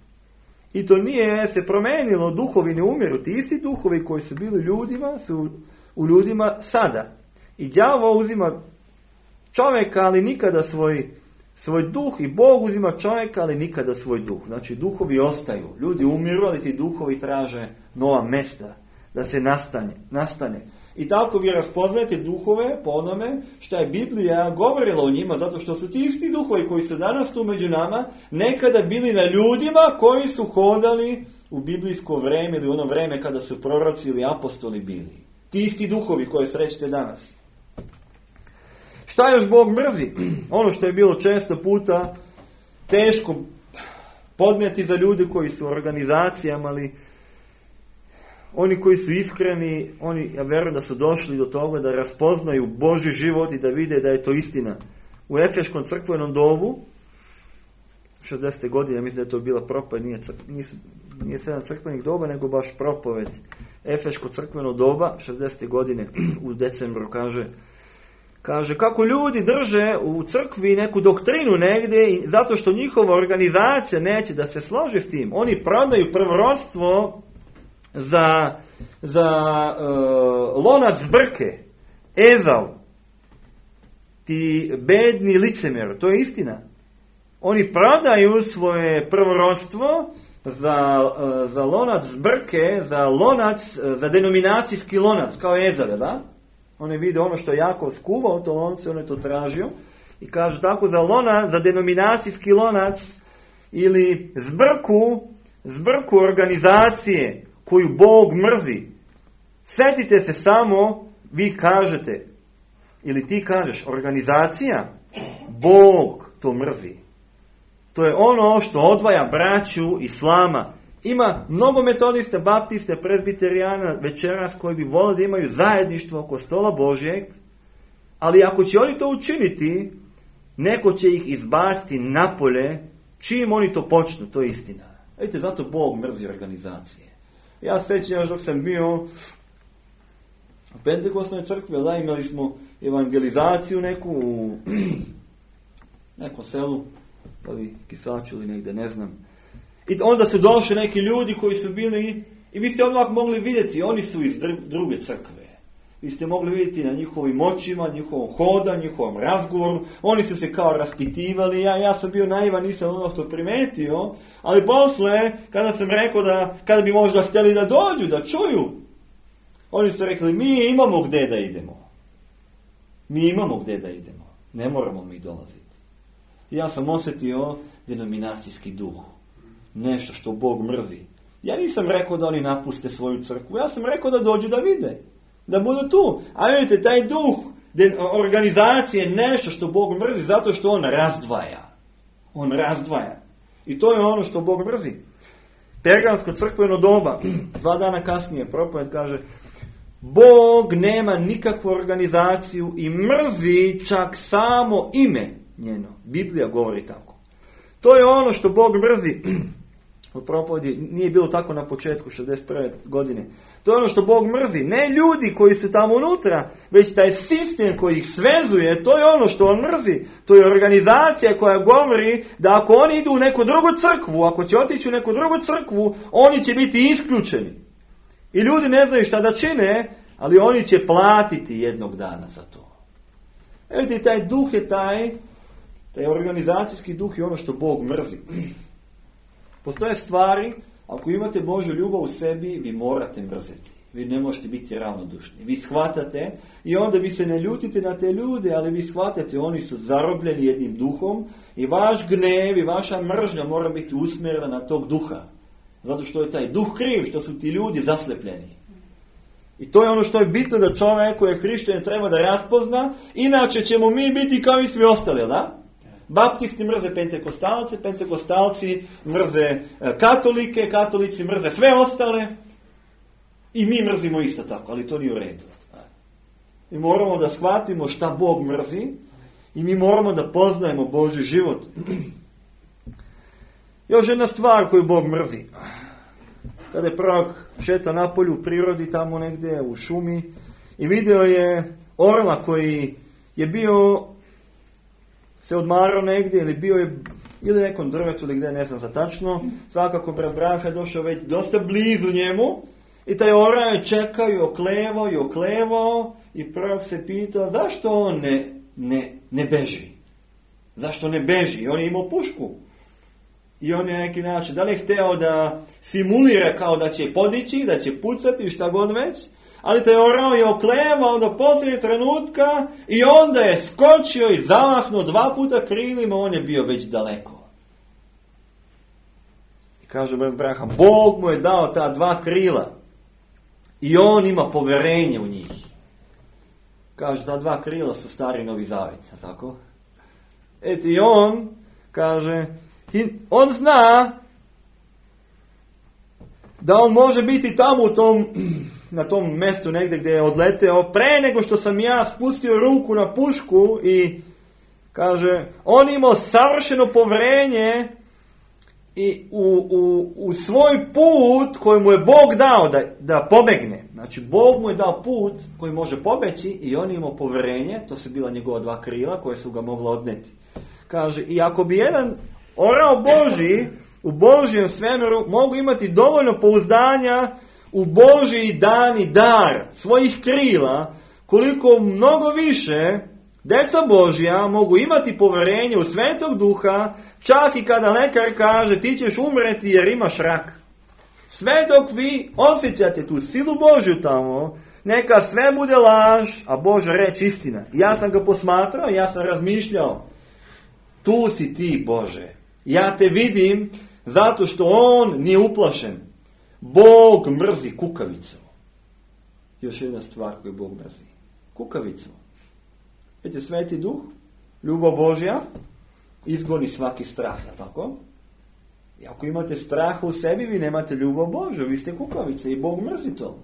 I to nije se promenilo, duhovi ne umiru. Ti isti duhovi koji su bili ljudima, su u ljudima sada. I đavo uzima čovjeka, ali nikada svoj, svoj duh, i Bog uzima čovjeka, ali nikada svoj duh. Znači, duhovi ostaju. Ljudi umiru, ali ti duhovi traže nova mjesta da se nastane. nastane. I tako vi raspoznajete duhove po onome što je Biblija govorila o njima, zato što su ti isti duhovi koji su danas tu među nama, nekada bili na ljudima koji su hodali u biblijsko vreme ili ono vreme kada su proroci ili apostoli bili. Ti isti duhovi koje srećete danas. Šta još Bog mrzi? Ono što je bilo često puta teško podnijeti za ljude koji su u organizacijama, ali oni koji su iskreni, oni, ja vjerujem da su došli do toga da raspoznaju Božji život i da vide da je to istina. U Efeškom crkvenom dobu, šezdesete godine, mislim da je to bila propoved, nije, nije, nije sedam crkvenih doba, nego baš propoved. Efeško crkveno doba, šezdesete godine, u decembru, kaže, kaže kako ljudi drže u crkvi neku doktrinu negdje, zato što njihova organizacija neće da se složi s tim. Oni prodaju prvorodstvo za, za uh, lonac zbrke, Ezav, ti bedni licemjer, to je istina. Oni prodaju svoje prvorodstvo za, uh, za lonac zbrke, za lonac, uh, za denominacijski lonac, kao Ezave, da? Oni vide ono što je Jakov skuvao, to lonce, on je to tražio. I kaže tako za lonac, za denominacijski lonac ili zbrku, zbrku organizacije koju Bog mrzi. Sjetite se samo, vi kažete, ili ti kažeš, organizacija, Bog to mrzi. To je ono što odvaja braću islama. Ima mnogo metodiste, baptiste, prezbiterijana večeras koji bi volili da imaju zajedništvo oko stola Božjeg, ali ako će oni to učiniti, neko će ih izbaciti napolje, čim oni to počnu, to je istina. Vidite, zato Bog mrzi organizacije. Ja sećam još dok sam bio u Pentekostnoj crkvi, da, imali smo evangelizaciju neku u nekom selu, ali Kisaču ili negdje, ne znam. I onda su došli neki ljudi koji su bili, i vi ste odmah mogli vidjeti, oni su iz druge crkve. Vi ste mogli vidjeti na njihovim očima, njihovom hodanju, njihovom razgovoru. Oni su se kao raspitivali. Ja, ja sam bio naivan, nisam ono što primetio. Ali posle, kada sam rekao da, kada bi možda htjeli da dođu, da čuju, oni su rekli, mi imamo gdje da idemo. Mi imamo gdje da idemo. Ne moramo mi dolaziti. I ja sam osjetio denominacijski duh. Nešto što Bog mrzi. Ja nisam rekao da oni napuste svoju crkvu. Ja sam rekao da dođu da vide. Da budu tu. A vidite, taj duh organizacije je nešto što Bog mrzi zato što on razdvaja. On razdvaja. I to je ono što Bog mrzi. Pergamsko crkveno doba, dva dana kasnije, propoved kaže, Bog nema nikakvu organizaciju i mrzi čak samo ime njeno. Biblija govori tako. To je ono što Bog mrzi. U propovedi nije bilo tako na početku šezdeset prve godine. To je ono što Bog mrzi. Ne ljudi koji su tamo unutra, već taj sistem koji ih svezuje, to je ono što on mrzi. To je organizacija koja govori da ako oni idu u neku drugu crkvu, ako će otići u neku drugu crkvu, oni će biti isključeni. I ljudi ne znaju šta da čine, ali oni će platiti jednog dana za to. Evo taj duh je taj, taj organizacijski duh je ono što Bog mrzi. Postoje stvari, ako imate Božju ljubav u sebi, vi morate mrzeti. Vi ne možete biti ravnodušni. Vi shvatate i onda vi se ne ljutite na te ljude, ali vi shvatate, oni su zarobljeni jednim duhom i vaš gnev i vaša mržnja mora biti usmjerena na tog duha. Zato što je taj duh kriv, što su ti ljudi zaslepljeni. I to je ono što je bitno da čovjek koji je hrišćanin treba da raspozna, inače ćemo mi biti kao i svi ostali, da? Baptisti mrze pentekostalce, pentekostalci mrze katolike, katolici mrze sve ostale i mi mrzimo isto tako, ali to nije u redu. Mi moramo da shvatimo šta Bog mrzi i mi moramo da poznajemo Božji život. Još jedna stvar koju Bog mrzi. Kada je prorok šeta napolju u prirodi, tamo negdje u šumi, i vidio je orla koji je bio, se odmarao negdje, ili bio je ili nekom drvetu ili gdje, ne znam za tačno, svakako brat Braha je došao već dosta blizu njemu, i taj orao je čekao i oklevao i oklevao, i prorok se pitao zašto on ne, ne, ne beži. Zašto ne beži? On je imao pušku. I on je neki način, da li je hteo da simulira kao da će podići, da će pucati, šta god već, ali taj orao je oklevao do posljednjeg trenutka i onda je skočio i zamahnuo dva puta krilima, on je bio već daleko. I kaže brat Braha, Bog mu je dao ta dva krila i on ima povjerenje u njih. Kaže, ta dva krila su stari Novi Zavet, tako? Eto i on, kaže, on zna da on može biti tamo u tom, na tom mjestu negdje gdje je odleteo, pre nego što sam ja spustio ruku na pušku, i kaže, on imao savršeno povjerenje i u, u, u svoj put koji mu je Bog dao da, da pobegne. Znači, Bog mu je dao put koji može pobeći i on imao povjerenje, to su bila njegova dva krila koje su ga mogla odneti. Kaže, i ako bi jedan orao Božji u Božjem svemiru mogu imati dovoljno pouzdanja u Božji dani dar svojih krila, koliko mnogo više djeca Božja mogu imati povjerenje u Svetog Duha, čak i kada lekar kaže ti ćeš umreti jer imaš rak. Sve dok vi osjećate tu silu Božju tamo, neka sve bude laž, a Božja reč istina. Ja sam ga posmatrao, ja sam razmišljao, tu si ti Bože. Ja te vidim zato što on nije uplašen. Bog mrzi kukavicu. Još jedna stvar koju Bog mrzi. Kukavicu. Vidite, Sveti Duh, ljubav Božja, izgoni svaki strah, je tako? I ako imate straha u sebi, vi nemate ljubav Božju, vi ste kukavice i Bog mrzi to.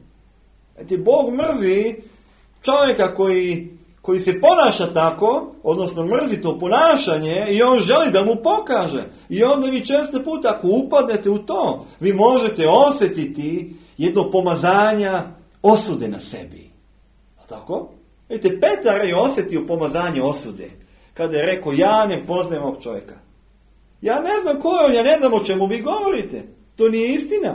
Vidite, Bog mrzi čovjeka koji, koji se ponaša tako, odnosno mrzi to ponašanje i on želi da mu pokaže. I onda vi često puta, ako upadnete u to, vi možete osjetiti jedno pomazanja osude na sebi. A tako? Vidite, Petar je osjetio pomazanje osude. Kada je rekao, ja ne poznajem ovog čovjeka. Ja ne znam ko je on, ja ne znam o čemu vi govorite. To nije istina.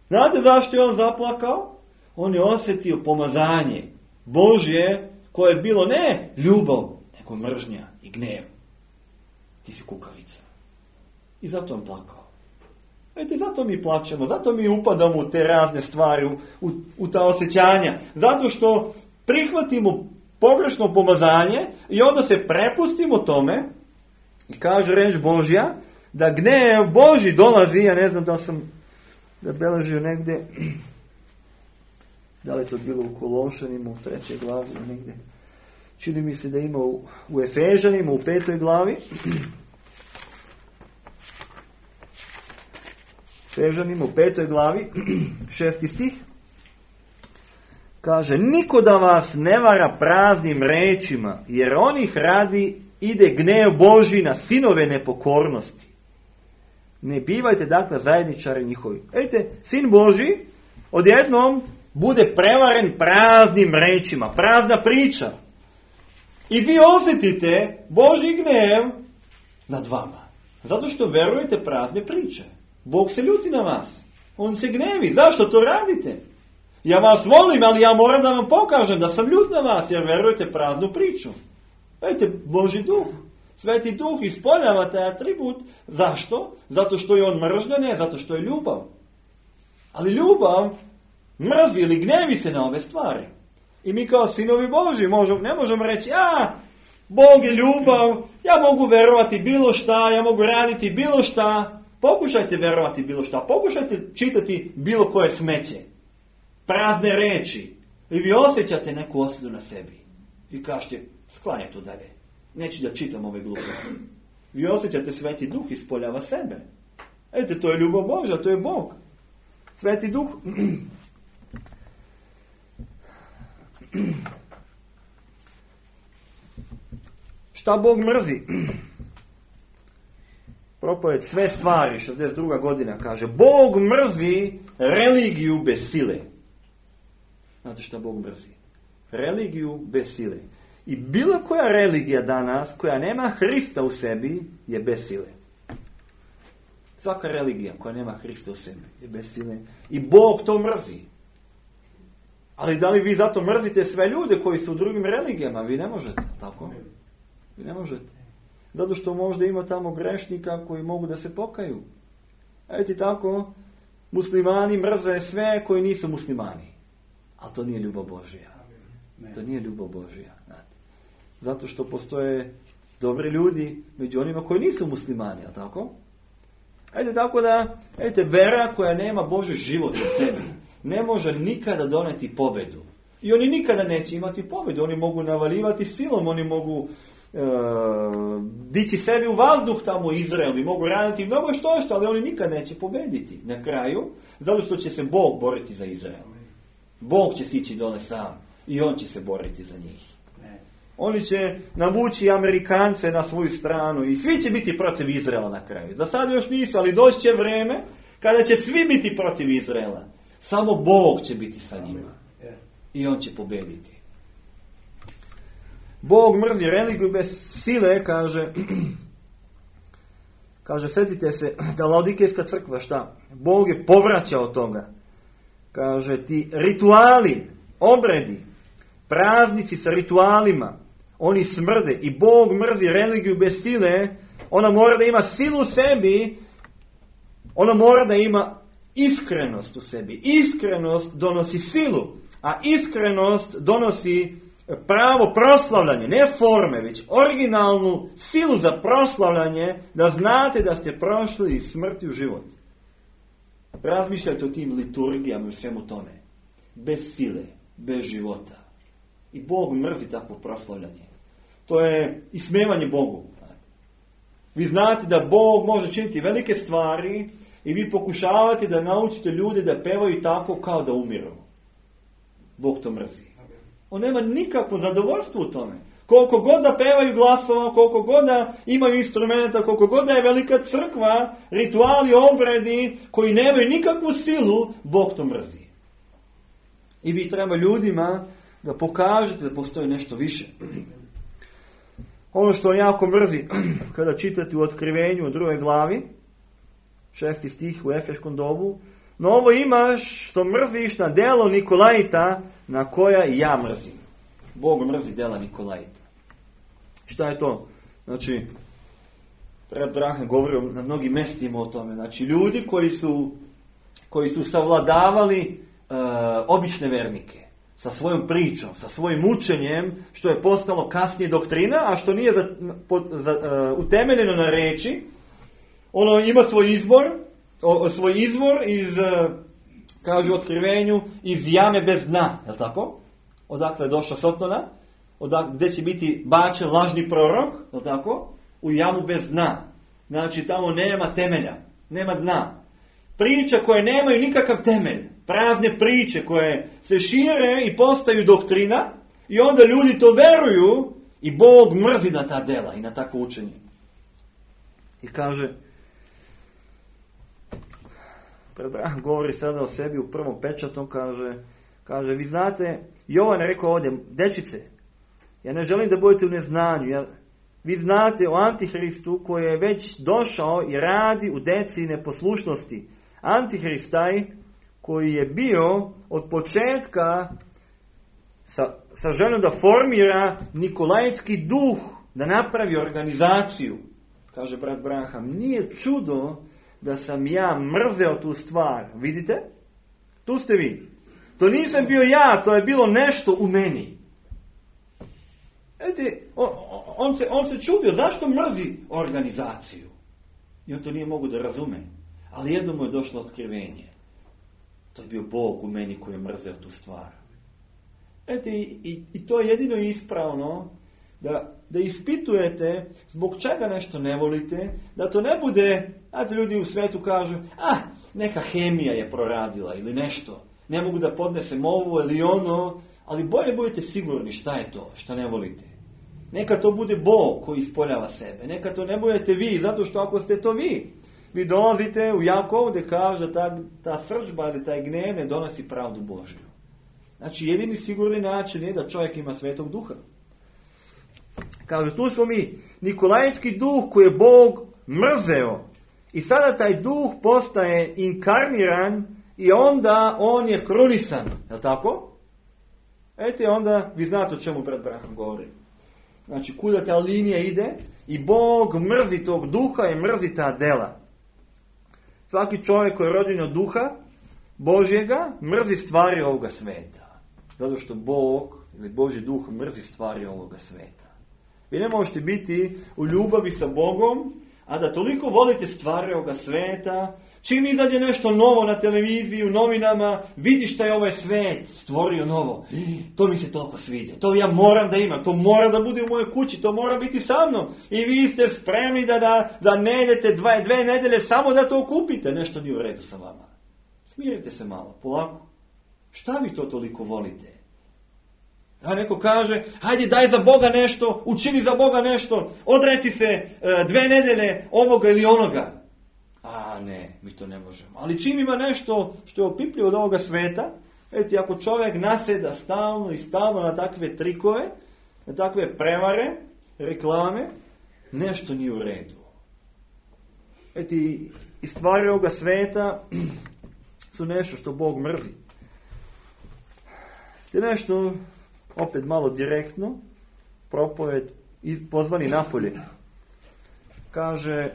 Znate zašto je on zaplakao? On je osjetio pomazanje Božje, koje je bilo ne ljubav, nego mržnja i gnev. Ti si kukavica. I zato on plakao. Vidite, zato mi plačemo, zato mi upadamo u te razne stvari, u, u, u ta osjećanja. Zato što prihvatimo pogrešno pomazanje i onda se prepustimo tome i kaže reč Božja da gnev Božji dolazi, ja ne znam da sam zabeležio negdje, da li je to bilo u Kološanima u trećoj glavi negdje. Čini mi se da ima u, u Efežanima u petoj glavi. Efežanima u petoj glavi, šesti stih. Kaže, niko da vas ne vara praznim rečima, jer onih radi ide gnev Božji na sinove nepokornosti. Ne bivajte dakle zajedničari njihovi. Vidite, sin Božji odjednom bude prevaren praznim rečima, prazna priča. I vi osjetite Božji gnev nad vama. Zato što verujete prazne priče. Bog se ljuti na vas. On se gnevi. Zašto to radite? Ja vas volim, ali ja moram da vam pokažem da sam ljut na vas, jer verujete praznu priču. Vidite, Božji Duh, Sveti Duh ispoljava taj atribut. Zašto? Zato što je on mržnja, ne zato što je ljubav. Ali ljubav mrzi ili gnevi se na ove stvari. I mi kao sinovi Božji možemo, ne možemo reći, a, Bog je ljubav, ja mogu verovati bilo šta, ja mogu raditi bilo šta. Pokušajte verovati bilo šta, pokušajte čitati bilo koje smeće. Prazne reči. I vi osjećate neku osudu na sebi. Vi kažete, sklanjaj to dalje. Neću da čitam ove gluposti. Vi osjećate Sveti Duh ispoljava sebe. Vidite, to je ljubav Božja, to je Bog. Sveti Duh. Šta Bog mrzi? Propovjed sve stvari, šezdeset druga godina, kaže Bog mrzi religiju bez sile. Znate šta Bog mrzi? Religiju bez sile. I bilo koja religija danas koja nema Hrista u sebi je bez sile. Svaka religija koja nema Hrista u sebi je bez sile. I Bog to mrzi. Ali da li vi zato mrzite sve ljude koji su u drugim religijama? Vi ne možete, tako? Vi ne možete. Zato što možda ima tamo grešnika koji mogu da se pokaju. Eto tako, muslimani mrze sve koji nisu muslimani. Ali to nije ljubav Božja. To nije ljubav Božja. Zato što postoje dobri ljudi među onima koji nisu muslimani, a tako? Eto tako da, eto, vera koja nema Božji život u sebi ne može nikada doneti pobedu. I oni nikada neće imati pobedu. Oni mogu navaljivati silom, oni mogu e, dići sebi u vazduh tamo u Izraelu i mogu raditi mnogo što što, ali oni nikad neće pobediti na kraju, zato što će se Bog boriti za Izrael. Bog će sići dole sam i on će se boriti za njih. Oni će navući Amerikance na svoju stranu i svi će biti protiv Izraela na kraju. Za sad još nisu, ali doći će vreme kada će svi biti protiv Izraela. Samo Bog će biti sa njima. I on će pobediti. Bog mrzi religiju bez sile, kaže, kaže, sjetite se da Laodikejska crkva, šta? Bog je povraćao toga. Kaže, ti rituali, obredi, praznici sa ritualima, oni smrde i Bog mrzi religiju bez sile. Ona mora da ima silu u sebi, ona mora da ima iskrenost u sebi. Iskrenost donosi silu, a iskrenost donosi pravo proslavljanje, ne forme, već originalnu silu za proslavljanje, da znate da ste prošli iz smrti u život. Razmišljajte o tim liturgijama i svemu tome. Bez sile, bez života. I Bog mrzi takvo proslavljanje. To je ismevanje Bogu. Vi znate da Bog može činiti velike stvari i vi pokušavate da naučite ljude da pevaju tako kao da umiru. Bog to mrzi. On nema nikakvo zadovoljstvo u tome. Koliko god da pevaju glasova, koliko god da imaju instrumenta, koliko god da je velika crkva, rituali, obredi koji nemaju nikakvu silu, Bog to mrzi. I vi treba ljudima da pokažete da postoji nešto više. Ono što on jako mrzi, kada čitate u Otkrivenju u drugoj glavi, šesti stih u Efeškom dobu, no ovo imaš što mrziš na delo Nikolajta, na koja i ja mrzim. Bog mrzi dela Nikolajta. Šta je to? Znači, Reb Brahan govori na mnogim mestima o tome. Znači, ljudi koji su, koji su savladavali uh, obične vernike sa svojom pričom, sa svojim učenjem, što je postalo kasnije doktrina, a što nije za, po, za, uh, utemeljeno na reči. Ono ima svoj izbor, o, svoj izvor iz, uh, kaže u Otkrivenju, iz jame bez dna, je li tako? Odakle je došla Sotona, odakle, gdje će biti bačen lažni prorok, je li tako? U jamu bez dna. Znači tamo nema temelja, nema dna. Priča koje nemaju nikakav temelj, prazne priče koje se šire i postaju doktrina i onda ljudi to veruju i Bog mrzi na ta dela i na takvo učenje. I kaže, govori sada o sebi u prvom pečatom, kaže, kaže, vi znate, Jovan je rekao ovdje, dečice, ja ne želim da budete u neznanju, ja, vi znate o Antihristu koji je već došao i radi u deci neposlušnosti. Antihrist taj koji je bio od početka sa, sa željom da formira nikolajski duh, da napravi organizaciju. Kaže brat Branham, nije čudo da sam ja mrzeo tu stvar. Vidite? Tu ste vi. To nisam bio ja, to je bilo nešto u meni. Ete, on, on, se, on se čudio, zašto mrzi organizaciju? I on to nije mogu da razume. Ali jedno mu je došlo otkrivenje. To je bio Bog u meni koji je mrzeo tu stvar. Ete, i, i, i to je jedino ispravno, da, da ispitujete zbog čega nešto ne volite, da to ne bude, znate, ljudi u svetu kažu, ah, neka hemija je proradila ili nešto, ne mogu da podnesem ovo ili ono, ali bolje budete sigurni šta je to, šta ne volite. Neka to bude Bog koji ispoljava sebe. Neka to ne budete vi, zato što ako ste to vi, vi dolazite u Jakov gdje kaže da ta, ta srdžba ili taj gnev ne donosi pravdu Božju. Znači jedini sigurni način je da čovjek ima Svetog Duha. Kaže, tu smo mi, Nikolajski duh koji je Bog mrzeo. I sada taj duh postaje inkarniran i onda on je krunisan. Je li tako? Ete, onda vi znate o čemu brat Braham govori. Znači, kuda ta linija ide i Bog mrzi tog duha i mrzi ta dela. Svaki čovjek koji je rođen od duha Božjega mrzi stvari ovoga sveta. Zato što Bog ili Božji duh mrzi stvari ovoga sveta. Vi ne možete biti u ljubavi sa Bogom, a da toliko volite stvari ovoga sveta. Čim izađe nešto novo na televiziji, u novinama, vidiš šta je ovaj svet stvorio novo. To mi se toliko sviđa. To ja moram da imam. To mora da bude u mojoj kući. To mora biti sa mnom. I vi ste spremni da, da, da ne idete dve, dve nedelje samo da to kupite. Nešto nije u redu sa vama. Smirite se malo, polako. Šta vi to toliko volite? A neko kaže, hajde daj za Boga nešto, učini za Boga nešto, odreci se e, dve nedelje ovoga ili onoga. A ne, mi to ne možemo. Ali čim ima nešto što je opipljivo od ovoga sveta, vidite, ako čovjek naseda stalno i stalno na takve trikove, na takve prevare, reklame, nešto nije u redu. Vidite, i stvari ovoga sveta su nešto što Bog mrzi. Te nešto, opet malo direktno, propoved pozvani napolje. Kaže,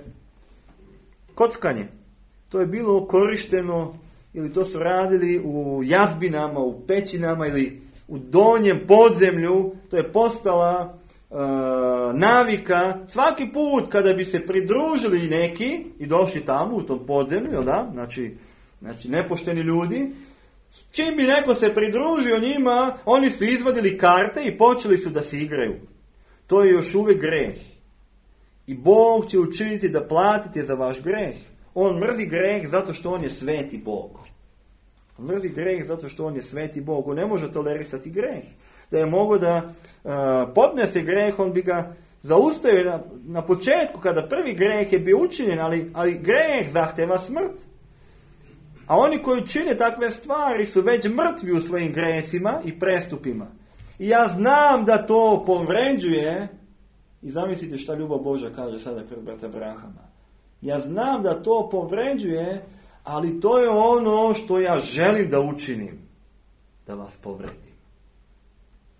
kockanje. To je bilo korišteno ili to su radili u jazbinama, u pećinama ili u donjem podzemlju. To je postala e, navika. Svaki put kada bi se pridružili neki i došli tamo u tom podzemlju, jel da? Znači, znači nepošteni ljudi, čim bi neko se pridružio njima, oni su izvadili karte i počeli su da se igraju. To je još uvijek greh. I Bog će učiniti da platite za vaš greh. On mrzi greh zato što on je sveti Bog. On mrzi greh zato što on je sveti Bog. On ne može tolerisati greh. Da je mogao da uh, podnese greh, on bi ga zaustavio na, na početku kada prvi greh je bio učinjen, ali, ali greh zahteva smrt. A oni koji čine takve stvari su već mrtvi u svojim gresima i prestupima. I ja znam da to povređuje. I zamislite šta ljubav Božja kaže sada pred brata Brahama. Ja znam da to povređuje, ali to je ono što ja želim da učinim. Da vas povredim.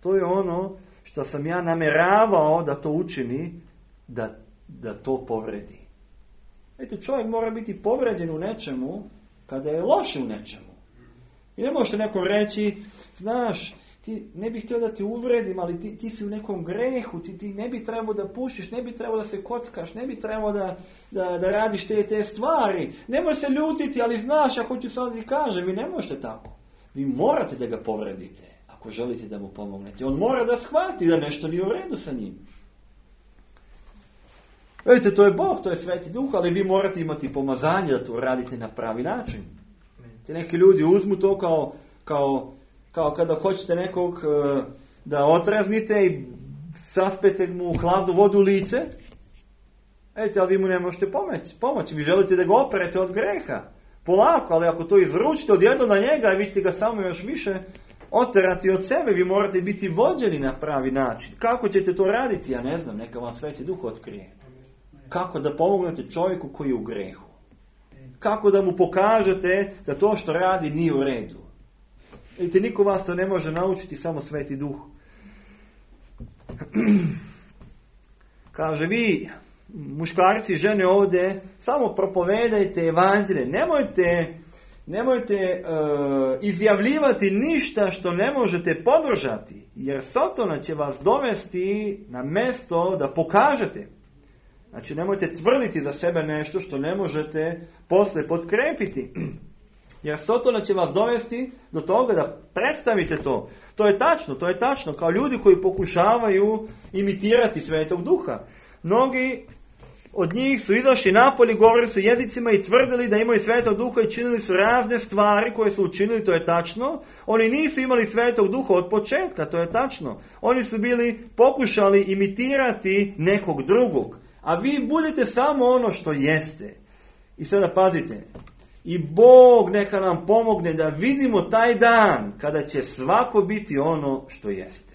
To je ono što sam ja nameravao da to učini, da, da to povredi. Vidite, čovjek mora biti povređen u nečemu kada je loše u nečemu. I ne možete nekom reći, znaš, ti ne bih htio da te uvredim, ali ti, ti si u nekom grehu, ti, ti ne bi trebao da pušiš, ne bi trebao da se kockaš, ne bi trebao da, da, da radiš te, te stvari. Nemoj se ljutiti, ali znaš, ako ću sad i kažem, vi ne možete tako. Vi morate da ga povredite, ako želite da mu pomognete. On mora da shvati da nešto nije u redu sa njim. Vidite, to je Bog, to je Sveti Duh, ali vi morate imati pomazanje da to radite na pravi način. Te neki ljudi uzmu to kao, kao, kao kada hoćete nekog uh, da otraznite i saspete mu hladnu vodu u lice. Vidite, ali vi mu ne možete pomoći. pomoći. Vi želite da ga operete od greha. Polako, ali ako to izručite odjednom na njega i vi ćete ga samo još više oterati od sebe, vi morate biti vođeni na pravi način. Kako ćete to raditi? Ja ne znam, neka vam Sveti Duh otkrije. Kako da pomognete čovjeku koji je u grehu. Kako da mu pokažete da to što radi nije u redu. Vidite, niko vas to ne može naučiti, samo Sveti Duh. Kaže, vi, muškarci i žene ovdje, samo propovedajte evanđelje. Nemojte, nemojte uh, izjavljivati ništa što ne možete podržati. Jer Sotona će vas dovesti na mjesto da pokažete. Znači, nemojte tvrditi za sebe nešto što ne možete posle potkrepiti. Jer Sotona će vas dovesti do toga da predstavite to. To je tačno, to je tačno. Kao ljudi koji pokušavaju imitirati Svetog Duha. Mnogi od njih su izašli napolje, govorili su jezicima i tvrdili da imaju Svetog Duha i činili su razne stvari koje su učinili, to je tačno. Oni nisu imali Svetog Duha od početka, to je tačno. Oni su bili pokušali imitirati nekog drugog. A vi budete samo ono što jeste. I sada pazite. I Bog neka nam pomogne da vidimo taj dan kada će svako biti ono što jeste.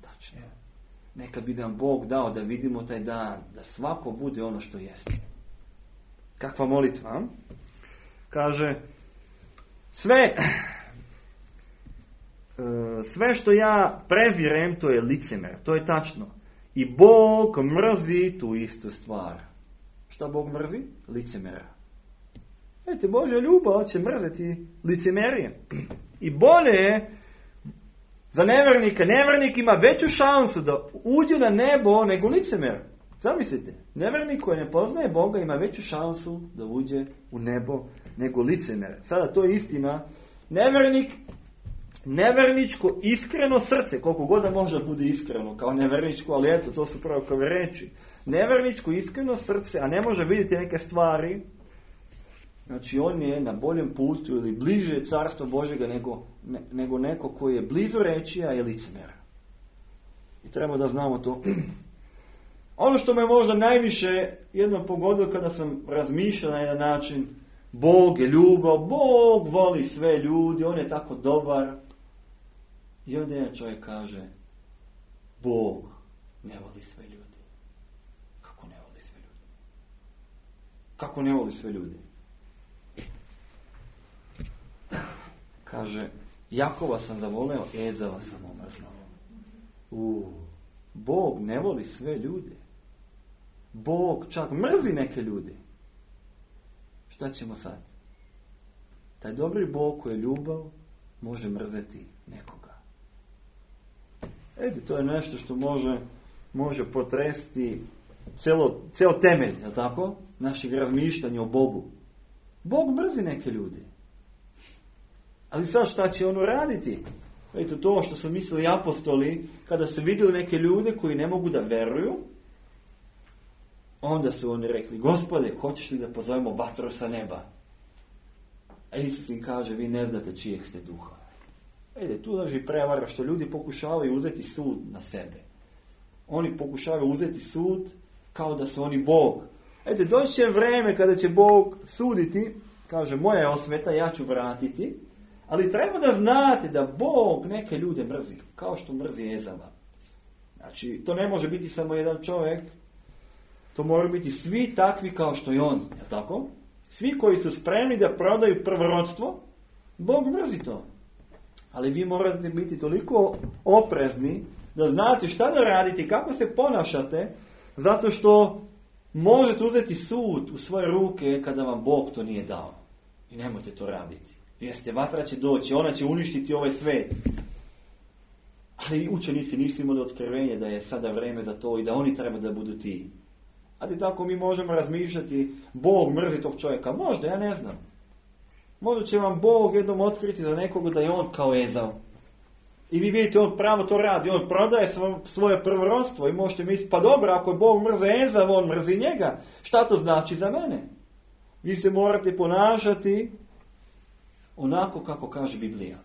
Tačno. Neka bi nam Bog dao da vidimo taj dan, da svako bude ono što jeste. Kakva molitva? Kaže, sve, sve što ja prezirem, to je licemjer. To je tačno. I Bog mrzi tu istu stvar. Šta Bog mrzi? Licemjera. Vidite, Božja ljubav će mrzeti licemerije. I bolje je za nevernika. Nevernik ima veću šansu da uđe na nebo nego licemer. Zamislite, nevernik koji ne poznaje Boga ima veću šansu da uđe u nebo nego licemer. Sada to je istina. Nevernik, neverničko iskreno srce, koliko god da može bude iskreno kao neverničko, ali eto, to su pravo kao reči. Neverničko iskreno srce, a ne može vidjeti neke stvari, znači on je na boljem putu ili bliže carstva Božjega nego, ne, nego neko koji je blizu reči, a je licemer. I treba da znamo to. Ono što me možda najviše jednom pogodilo kada sam razmišljao na jedan način, Bog je ljubav, Bog voli sve ljudi, on je tako dobar. I onda jedan čovjek kaže, Bog ne voli sve ljudi. Kako ne voli sve ljudi? Kako ne voli sve ljudi? Kaže, Jakova sam zavoleo, Ezava sam omrznuo. U, Bog ne voli sve ljude. Bog čak mrzi neke ljude. Šta ćemo sad? Taj dobri Bog koji je ljubav može mrzeti nekoga. Ede, to je nešto što može, može potresti celo, ceo temelj, je li tako? Našeg razmišljanja o Bogu. Bog mrzi neke ljude. Ali sad šta će ono raditi? Eto to što su mislili apostoli, kada su vidjeli neke ljude koji ne mogu da veruju, onda su oni rekli, Gospode, hoćeš li da pozovemo vatru sa neba? A Isus im kaže, vi ne znate čijeg ste duha. Ede, tu leži prevara što ljudi pokušavaju uzeti sud na sebe. Oni pokušavaju uzeti sud kao da su oni Bog. Ede, doći će vreme kada će Bog suditi, kaže, moja je osveta, ja ću vratiti, ali treba da znate da Bog neke ljude mrzi, kao što mrzi Ezava. Znači, to ne može biti samo jedan čovjek, to moraju biti svi takvi kao što je on, je tako? Svi koji su spremni da prodaju prvorodstvo, Bog mrzi to. Ali vi morate biti toliko oprezni da znate šta da radite, kako se ponašate, zato što možete uzeti sud u svoje ruke kada vam Bog to nije dao. I nemojte to raditi. Jeste, vatra će doći, ona će uništiti ovaj svet. Ali učenici nisu imali otkrivenje da je sada vreme za to i da oni treba da budu ti. Ali tako mi možemo razmišljati, Bog mrzi tog čovjeka. Možda, ja ne znam. Možda će vam Bog jednom otkriti za nekoga da je on kao Ezav. I vi vidite, on pravo to radi. On prodaje svoje prvorodstvo i možete misliti, pa dobro, ako je Bog mrzi Ezav, on mrzi njega. Šta to znači za mene? Vi se morate ponašati onako kako kaže Biblija.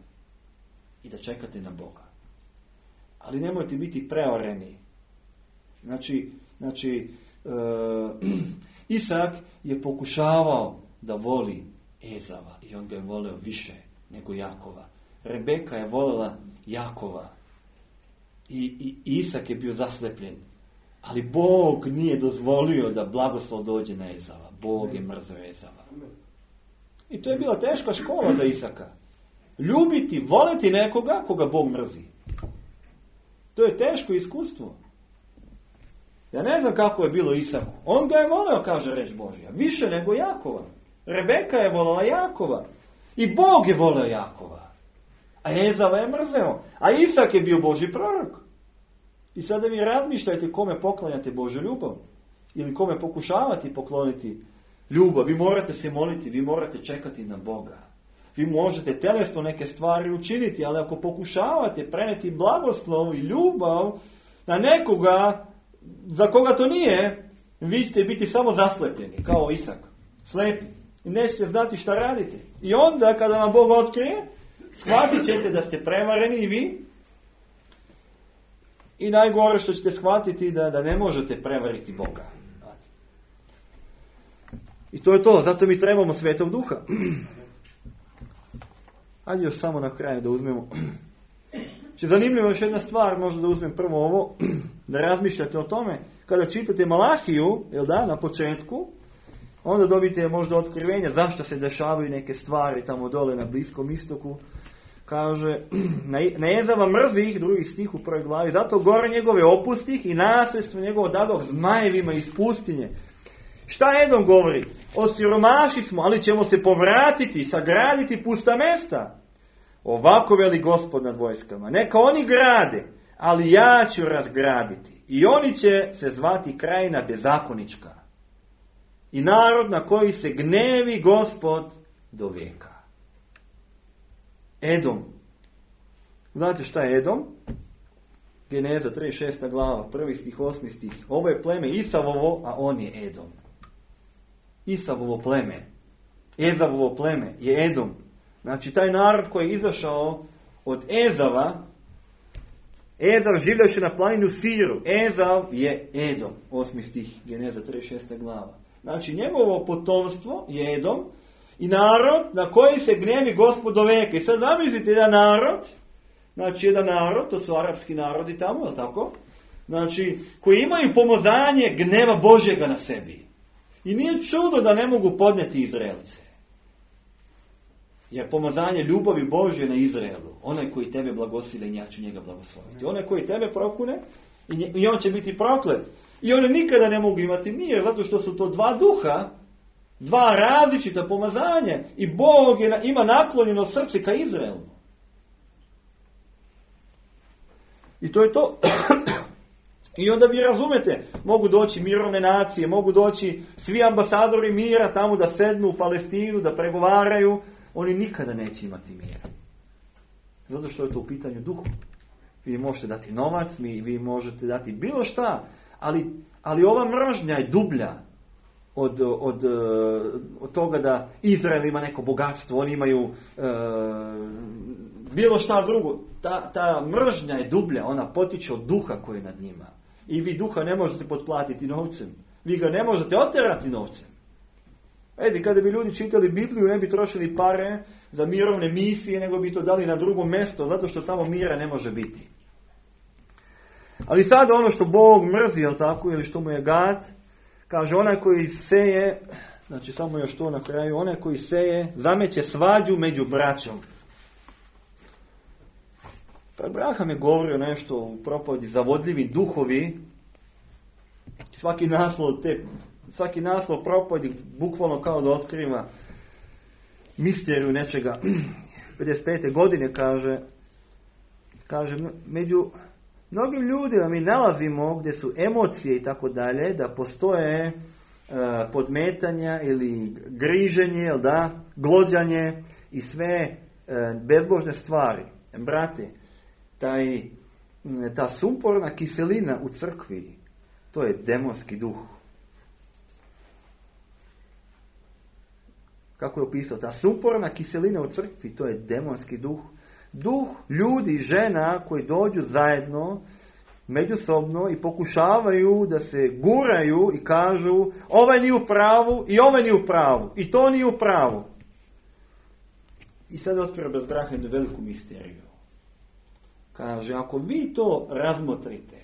I da čekate na Boga. Ali nemojte biti preoreni. Znači, znači uh, Isak je pokušavao da voli Ezava i on ga je voleo više nego Jakova. Rebeka je volela Jakova i, i Isak je bio zaslepljen. Ali Bog nije dozvolio da blagoslov dođe na Ezava. Bog je mrzeo Ezava. I to je bila teška škola za Isaka. Ljubiti, voliti nekoga koga Bog mrzi. To je teško iskustvo. Ja ne znam kako je bilo Isaku. On ga je voleo, kaže reč Božja. Više nego Jakova. Rebeka je volela Jakova. I Bog je voleo Jakova. A Ezava je mrzeo. A Isak je bio Božji prorok. I sada vi razmišljajte kome poklanjate Božju ljubav. Ili kome pokušavati pokloniti ljubav. Vi morate se moliti. Vi morate čekati na Boga. Vi možete telesno neke stvari učiniti. Ali ako pokušavate preneti blagoslov i ljubav na nekoga za koga to nije, Vi ćete biti samo zaslepljeni, kao Isak. Slepi. I nećete znati šta radite. I onda kada vam Bog otkrije, shvatit ćete da ste prevareni i vi. I najgore što ćete shvatiti da, da ne možete prevariti Boga. I to je to. Zato mi trebamo Svetog Duha. Ajde još samo na kraju da uzmemo. Če zanimljivo još jedna stvar, možda da uzmem prvo ovo, da razmišljate o tome. Kada čitate Malahiju, jel da, na početku, onda dobite možda otkrivenja zašto se dešavaju neke stvari tamo dole na Bliskom istoku. Kaže, na Ezava mrzi ih, drugi stih u prvoj glavi, zato gore njegove opustih i nasljedstvo njegovo dadoh zmajevima iz pustinje. Šta Edom govori? Osiromaši smo, ali ćemo se povratiti, sagraditi pusta mesta. Ovako veli Gospod nad vojskama. Neka oni grade, ali ja ću razgraditi. I oni će se zvati krajina bezakonička. I narod na koji se gnevi Gospod do vijeka. Edom. Znate šta je Edom? Geneza trideset šesta glava, prvi stih, osmi stih. Ovo je pleme Isavovo, a on je Edom. Isavovo pleme. Ezavovo pleme je Edom. Znači taj narod koji je izašao od Ezava, Ezav življaše na planinu Siru. Ezav je Edom. Osmi stih, Geneza trideset šesta glava. Znači njegovo potomstvo je Edom i narod na koji se gnevi Gospod do vijeka. I sad zamislite jedan narod, znači jedan narod, to su arapski narodi tamo, je tako? Znači, koji imaju pomazanje gneva Božjega na sebi. I nije čudo da ne mogu podnijeti Izraelce. Jer pomazanje ljubavi Božje na Izraelu, onaj koji tebe blagosile, ja ću njega blagosloviti. Onaj koji tebe prokune, i on će biti proklet. I oni nikada ne mogu imati mir, zato što su to dva duha, dva različita pomazanja. I Bog je, ima naklonjeno srce ka Izraelu. I to je to. I onda vi razumete, mogu doći mirovne nacije, mogu doći svi ambasadori mira tamo da sednu u Palestinu, da pregovaraju. Oni nikada neće imati mira. Zato što je to u pitanju duhu. Vi možete dati novac, vi možete dati bilo šta, ali, ali ova mržnja je dublja od, od, od toga da Izrael ima neko bogatstvo, oni imaju uh, bilo šta drugo. Ta, ta mržnja je dublja, ona potiče od duha koji je nad njima. I vi duha ne možete potplatiti novcem. Vi ga ne možete oterati novcem. Edi, kada bi ljudi čitali Bibliju, ne bi trošili pare za mirovne misije, nego bi to dali na drugo mjesto, zato što tamo mira ne može biti. Ali sada ono što Bog mrzi, jel tako, ili što mu je gad, kaže onaj koji seje, znači samo još to na kraju, onaj koji seje, zameće svađu među braćom. Pa Abraham je govorio nešto u propovedi, zavodljivi duhovi, svaki naslov te Svaki naslov propovedi bukvalno kao da otkriva misteriju nečega. pedeset pete godine kaže, kaže među mnogim ljudima mi nalazimo gdje su emocije i tako dalje, da postoje uh, podmetanja ili griženje, jel da, glođanje i sve uh, bezbožne stvari. Brate, taj, ta sumporna kiselina u crkvi, to je demonski duh. Kako je opisao, ta sumporna kiselina u crkvi, to je demonski duh. Duh ljudi i žena koji dođu zajedno, međusobno i pokušavaju da se guraju i kažu ovaj nije u pravu i ovaj nije u pravu i to nije u pravu. I sad otvara bez braha jednu veliku misteriju. Kaže, ako vi to razmotrite,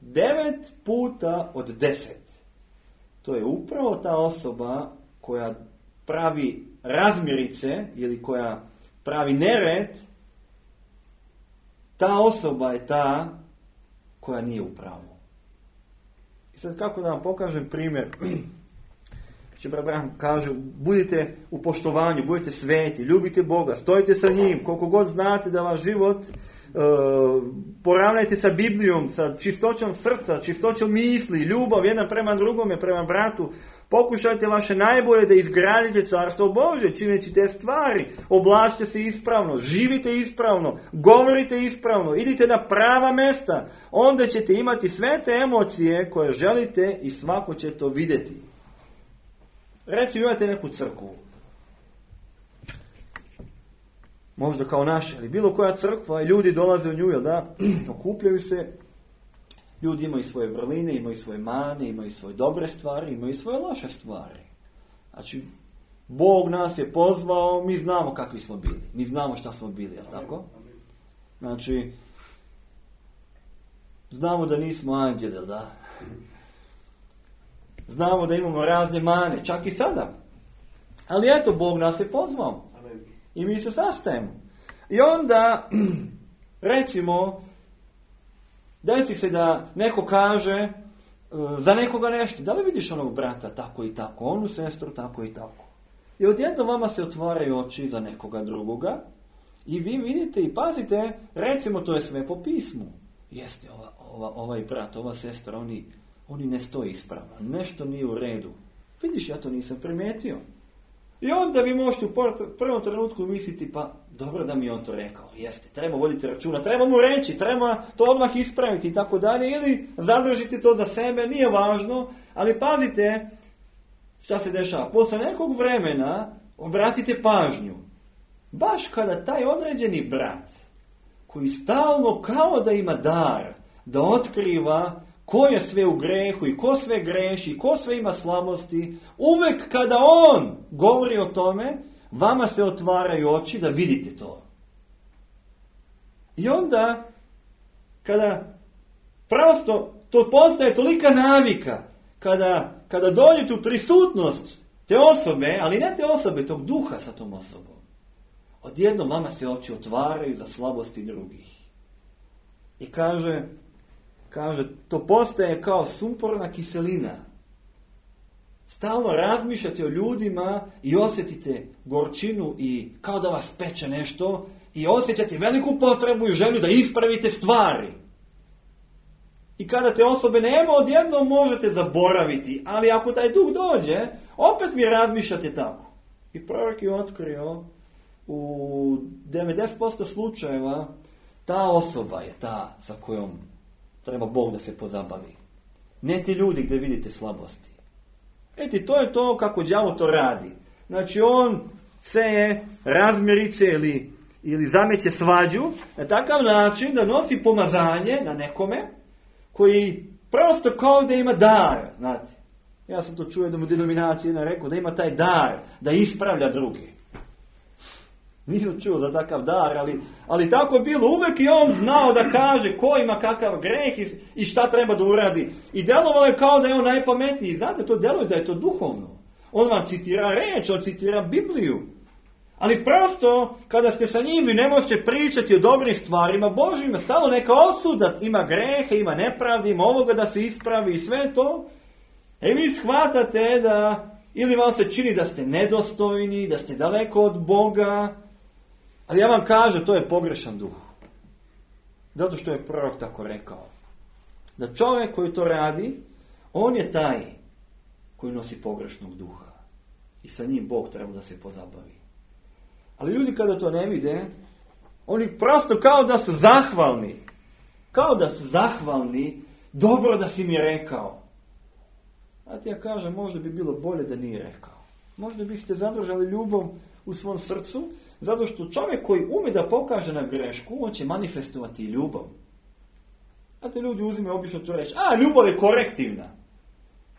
devet puta od deset, to je upravo ta osoba koja pravi razmirice ili koja pravi nered, ta osoba je ta koja nije u pravu. I sad kako da vam pokažem primjer? Znači, Abraham kaže, budite u poštovanju, budite sveti, ljubite Boga, stojite sa njim, koliko god znate da vaš život uh, poravnajte sa Biblijom, sa čistoćom srca, čistoćom misli, ljubav jedan prema drugome, prema bratu, Pokušajte vaše najbolje da izgradite carstvo Božje, čineći te stvari. Oblačite se ispravno, živite ispravno, govorite ispravno, idite na prava mesta. Onda ćete imati sve te emocije koje želite i svako će to vidjeti. Recimo imate neku crkvu. Možda kao naša, ili bilo koja crkva, i ljudi dolaze u nju, jel da? Okupljaju se. Ljudi imaju svoje vrline, imaju svoje mane, imaju svoje dobre stvari, imaju svoje loše stvari. Znači, Bog nas je pozvao, mi znamo kakvi smo bili. Mi znamo šta smo bili, jel tako? Znači, znamo da nismo anđeli, da? Znamo da imamo razne mane, čak i sada. Ali eto, Bog nas je pozvao. I mi se sastajemo. I onda, recimo, desi se da neko kaže uh, za nekoga nešto. Da li vidiš onog brata tako i tako, onu sestru tako i tako. I odjednom vama se otvaraju oči za nekoga drugoga i vi vidite i pazite, recimo to je sve po pismu. Jeste, ova, ova, ovaj brat, ova sestra, oni, oni ne stoji ispravno. Nešto nije u redu. Vidiš, ja to nisam primijetio. I onda vi možete u prvom trenutku misliti, pa dobro da mi on to rekao, jeste, treba voditi računa, treba mu reći, treba to odmah ispraviti i tako dalje, ili zadržite to za sebe, nije važno, ali pazite šta se dešava. Posle nekog vremena obratite pažnju, baš kada taj određeni brat, koji stalno kao da ima dar, da otkriva ko je sve u grehu i ko sve greši, ko sve ima slabosti, uvek kada on govori o tome, vama se otvaraju oči da vidite to. I onda, kada prosto to postaje tolika navika, kada, kada dođete u prisutnost te osobe, ali ne te osobe, tog duha sa tom osobom, odjednom vama se oči otvaraju za slabosti drugih. I kaže, Kaže, to postaje kao sumporna kiselina. Stalno razmišljate o ljudima i osjetite gorčinu i kao da vas peče nešto i osjećate veliku potrebu i želju da ispravite stvari. I kada te osobe nema, odjednom možete zaboraviti, ali ako taj duh dođe, opet mi razmišljate tako. I prorok je otkrio u devedeset posto slučajeva ta osoba je ta sa kojom treba Bog da se pozabavi. Ne ti ljudi gdje vidite slabosti. Eti, to je to kako đavo to radi. Znači, on seje razmirice ili, ili zameće svađu na takav način da nosi pomazanje na nekome koji prosto kao da ima dar. Znate, ja sam to čuo da mu denominacija jedna rekao da ima taj dar da ispravlja druge. Nisam čuo za takav dar, ali, ali tako je bilo. Uvijek je on znao da kaže ko ima kakav greh i, i šta treba da uradi. I djelovalo je kao da je on najpametniji. Znate, to djeluje da je to duhovno. On vam citira reč, on citira Bibliju. Ali prosto, kada ste sa njim, vi ne možete pričati o dobrim stvarima Božjima. Stalo neka osuda, ima grehe, ima nepravdi, ima ovoga da se ispravi i sve to. E vi shvatate da, ili vam se čini da ste nedostojni, da ste daleko od Boga. Ali ja vam kažem, to je pogrešan duh. Zato što je prorok tako rekao. Da čovjek koji to radi, on je taj koji nosi pogrešnog duha. I sa njim Bog treba da se pozabavi. Ali ljudi kada to ne vide, oni prosto kao da su zahvalni. Kao da su zahvalni, dobro da si mi rekao. A ti ja kažem, možda bi bilo bolje da nije rekao. Možda biste zadržali ljubav u svom srcu, zato što čovjek koji ume da pokaže na grešku, on će manifestovati ljubav. Znate, ljudi uzimaju obično to reći, a ljubav je korektivna.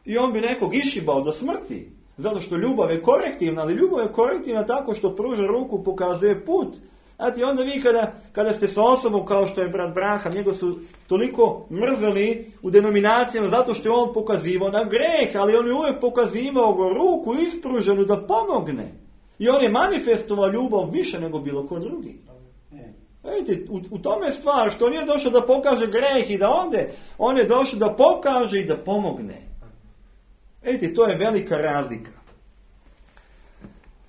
I on bi nekog išibao do smrti, zato što ljubav je korektivna, ali ljubav je korektivna tako što pruža ruku, pokazuje put. Znate, onda vi kada, kada ste sa osobom kao što je brat Braham, njega su toliko mrzeli u denominacijama zato što je on pokazivao na greh, ali on je uvijek pokazivao go ruku ispruženu da pomogne. I on je manifestovao ljubav više nego bilo ko drugi. Vidite, u, u tome je stvar što on nije došao da pokaže greh i da onde, on je došao da pokaže i da pomogne. Vidite, to je velika razlika.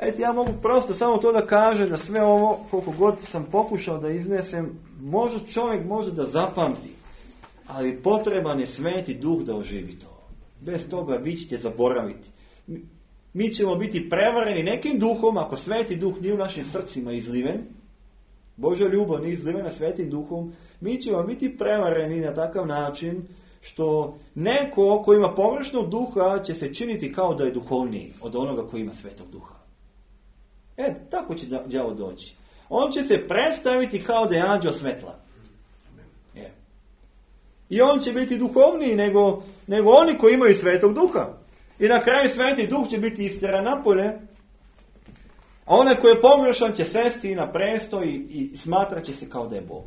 Vidite, ja mogu prosto samo to da kažem da sve ovo, koliko god sam pokušao da iznesem, može čovjek može da zapamti, ali potreban je sveti duh da oživi to. Bez toga vi ćete zaboraviti. mi ćemo biti prevareni nekim duhom, ako Sveti Duh nije u našim srcima izliven, Božja ljubav nije izlivena Svetim Duhom, mi ćemo biti prevareni na takav način što neko ko ima pogrešnog duha će se činiti kao da je duhovniji od onoga koji ima Svetog Duha. E, tako će đavo doći. On će se predstaviti kao da je anđeo svetla. E. I on će biti duhovniji nego, nego oni koji imaju Svetog Duha. I na kraju Sveti Duh će biti istjeran napolje, a onaj koji je pogrešan će sesti na presto i, i smatrat će se kao da je Bog.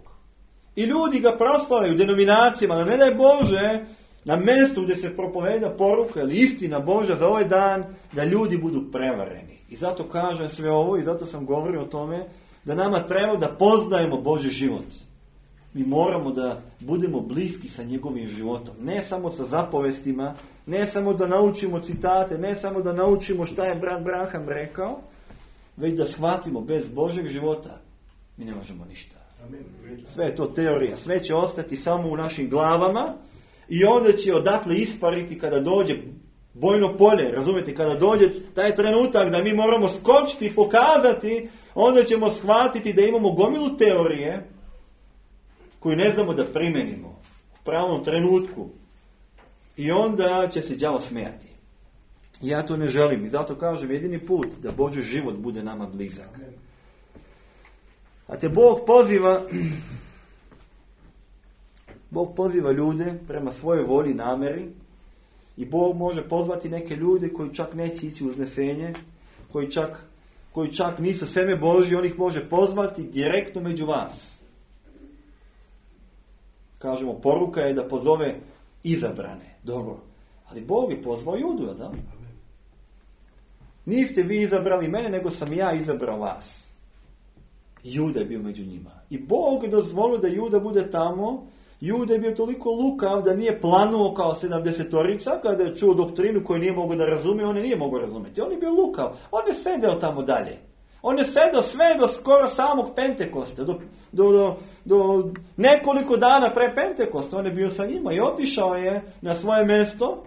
I ljudi ga proslavljaju u denominacijama, da ne daj Bože, na mjestu gdje se propoveda poruka ili istina Božja za ovaj dan, da ljudi budu prevareni. I zato kažem sve ovo i zato sam govorio o tome da nama treba da poznajemo Božji život. Mi moramo da budemo bliski sa njegovim životom. Ne samo sa zapovestima, ne samo da naučimo citate, ne samo da naučimo šta je brat Branham rekao, već da shvatimo bez Božjeg života mi ne možemo ništa. Sve je to teorija. Sve će ostati samo u našim glavama i onda će odatle ispariti kada dođe bojno polje. Razumijete? Kada dođe taj trenutak da mi moramo skočiti i pokazati, onda ćemo shvatiti da imamo gomilu teorije koju ne znamo da primenimo u pravom trenutku. I onda će se đavo smijati. Ja to ne želim i zato kažem jedini put da Božji život bude nama blizak. A te Bog poziva Bog poziva ljude prema svojoj volji i namjeri i Bog može pozvati neke ljude koji čak neće ići u uznesenje, koji čak, koji čak nisu seme Božji, on ih može pozvati direktno među vas. Kažemo, poruka je da pozove izabrane. Dobro. Ali Bog je pozvao Judu, da? Niste vi izabrali mene, nego sam ja izabrao vas. Juda je bio među njima. I Bog je dozvolio da Juda bude tamo. Juda je bio toliko lukav da nije planuo kao sedamdesetorica, kada je čuo doktrinu koju nije mogao da razumije, on je nije mogao razumjeti. On je bio lukav. On je sedeo tamo dalje. On je sedeo sve do skoro samog Pentekosta, do, do, do, do nekoliko dana pre Pentekosta. On je bio sa njima i otišao je na svoje mjesto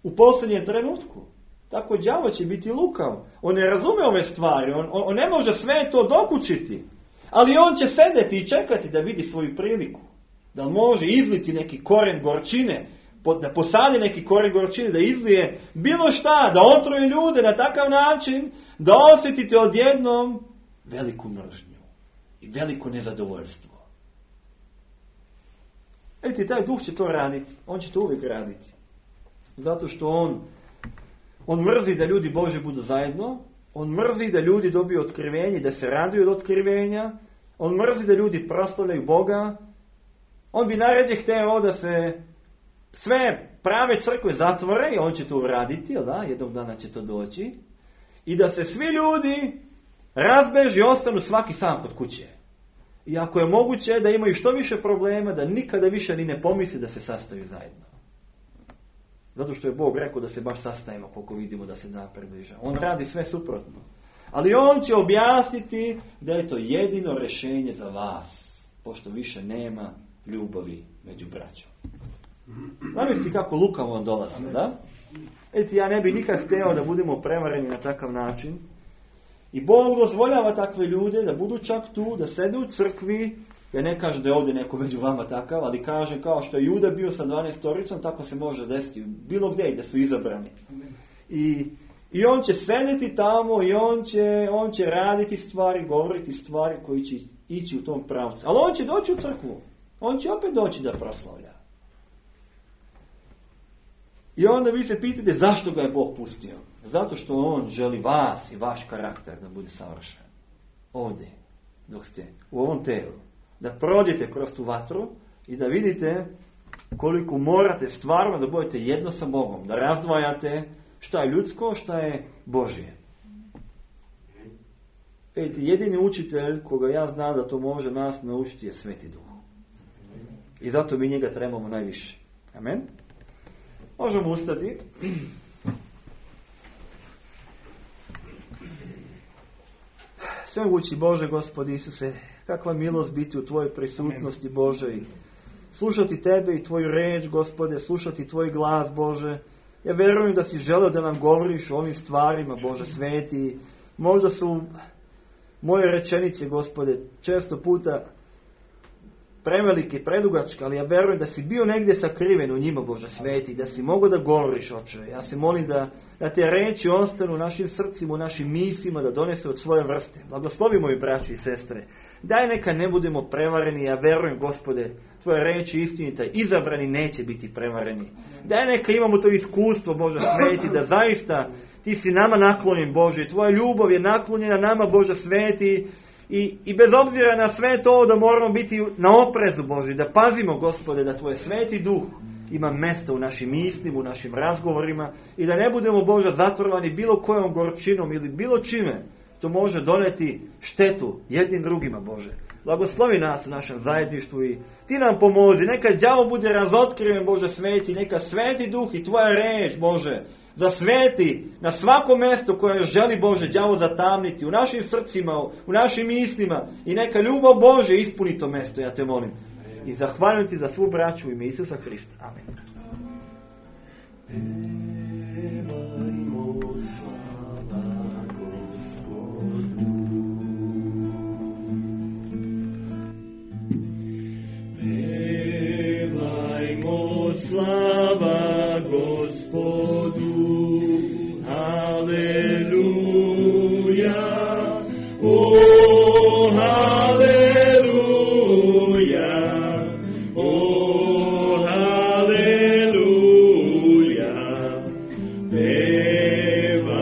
u posljednjem trenutku. Tako đavo će biti lukav. On ne razume ove stvari, on, on, on ne može sve to dokučiti. Ali on će sedeti i čekati da vidi svoju priliku. Da može izliti neki koren gorčine, da posadi neki koren gorčine, da izlije bilo šta, da otruje ljude na takav način, da osjetite odjednom veliku mržnju i veliko nezadovoljstvo. Eto, taj duh će to raditi. On će to uvijek raditi. Zato što on On mrzi da ljudi Boži budu zajedno, on mrzi da ljudi dobiju otkrivenje, da se raduju od otkrivenja, on mrzi da ljudi proslavljaju Boga, on bi najradije hteo da se sve prave crkve zatvore i on će to uraditi, jel da, jednog dana će to doći, i da se svi ljudi razbeži i ostanu svaki sam kod kuće. I ako je moguće da imaju što više problema, da nikada više ni ne pomisli da se sastaju zajedno. Zato što je Bog rekao da se baš sastajemo koliko vidimo da se dan približa. On radi sve suprotno. Ali on će objasniti da je to jedino rješenje za vas, pošto više nema ljubavi među braćom. Zamislite kako lukavo on dolazi, da? Eti, ja ne bi nikad hteo da budemo prevareni na takav način. I Bog dozvoljava takve ljude da budu čak tu, da sede u crkvi. Ja ne kažem da je ovdje neko među vama takav, ali kažem kao što je Juda bio sa dvanaestoricom, tako se može desiti bilo gdje da su izabrani. I, i on će sedeti tamo i on će, on će raditi stvari, govoriti stvari koji će ići u tom pravcu. Ali on će doći u crkvu. On će opet doći da proslavlja. I onda vi se pitate zašto ga je Bog pustio. Zato što on želi vas i vaš karakter da bude savršen. Ovdje, dok ste u ovom telu. Da prođete kroz tu vatru i da vidite koliko morate stvarno da budete jedno sa Bogom. Da razdvajate šta je ljudsko, šta je Božje. Vidite, jedini učitelj koga ja znam da to može nas naučiti je Sveti Duh. I zato mi njega trebamo najviše. Amen. Možemo ustati. Svemogući Bože, Gospodi Isuse, kakva milost biti u Tvojoj prisutnosti, Bože, i slušati Tebe i Tvoju reč, Gospode, slušati Tvoj glas, Bože, Ja vjerujem da si želeo da nam govoriš o ovim stvarima, Bože sveti. Možda su moje rečenice, Gospode, često puta prevelike, predugačke, ali ja vjerujem da si bio negdje sakriven u njima, Bože sveti, da si mogao da govoriš, Oče. Ja se molim da, da te reči ostanu u našim srcima, u našim mislima, da donese od svoje vrste. Blagoslovi moji braći i sestre. Daj neka ne budemo prevareni, ja vjerujem, Gospode, tvoje reči istinita, izabrani neće biti prevareni. Daj neka imamo to iskustvo, Bože sveti, da zaista ti si nama naklonjen, Bože, tvoja ljubav je naklonjena nama, Bože sveti, i, i bez obzira na sve to da moramo biti na oprezu, Bože, da pazimo, Gospode, da tvoj sveti duh ima mesta u našim mislima, u našim razgovorima i da ne budemo, Bože, zatrovani bilo kojom gorčinom ili bilo čime što može doneti štetu jednim drugima, Bože. Blagoslovi nas u našem zajedništvu i ti nam pomozi. Neka đavo bude razotkriven, Bože sveti, neka sveti duh i tvoja reč, Bože, zasveti na svako mjesto koje želi, Bože, đavo zatamniti u našim srcima, u našim mislima i neka ljubav Bože ispuni to mjesto, ja te molim. I zahvaljujem ti za svu braću u ime Isusa Hrista. Amen. Slava Gospodu, haleluja, o haleluja, o haleluja, pevajmo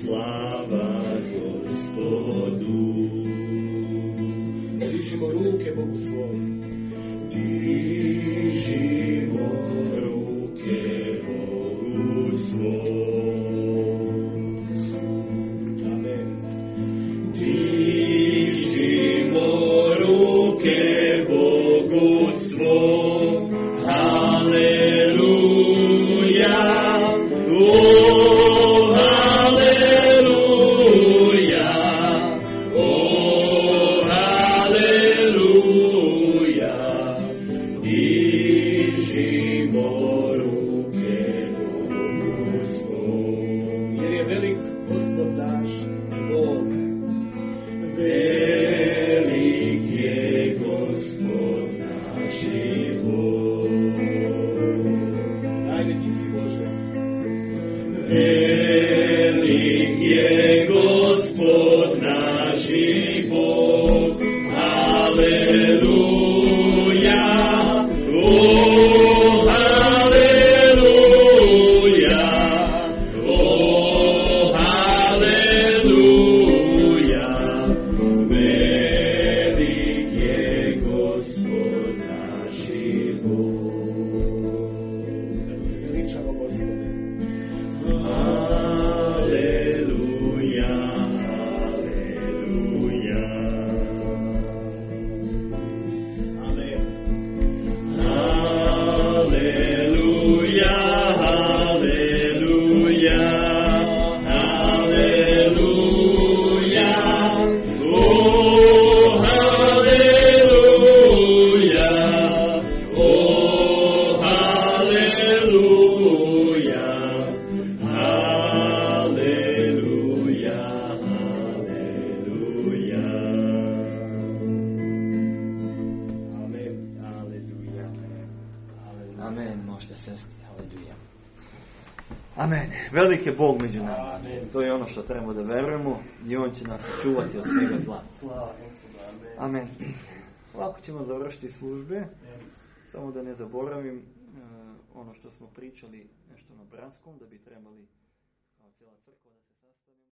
slava Gospodu. Dižimo ruke Bogu svojom. Dižimo ruke Bogu svom. Amen. Dižimo ruke Bogu svom. Haleluja. O haleluja. O haleluja. Dižimo ruke Bogu svom. Jer je velik Gospod naš Bog. Velik je Gospod naš Bog. Najveći si Bože. Velik je Gospod naš Bog. Haleluja. O haleluja, o haleluja, velik je Gospod naš Bog. Veličamo Gospode. Haleluja, haleluja. Amen. Haleluja, haleluja, haleluja, o haleluja, o haleluja, haleluja, haleluja. Amen, haleluja. Amen, možete sesti. Haleluja. Amen. Velik je Bog među nama. Amen. To je ono što trebamo da verujemo i On će nas čuvati od svega zla. Slava Gospodu, amen. Amen. Ovako ćemo završiti službe. Samo da ne zaboravim uh, ono što smo pričali nešto na Branskom, da bi trebali kao cijela crkva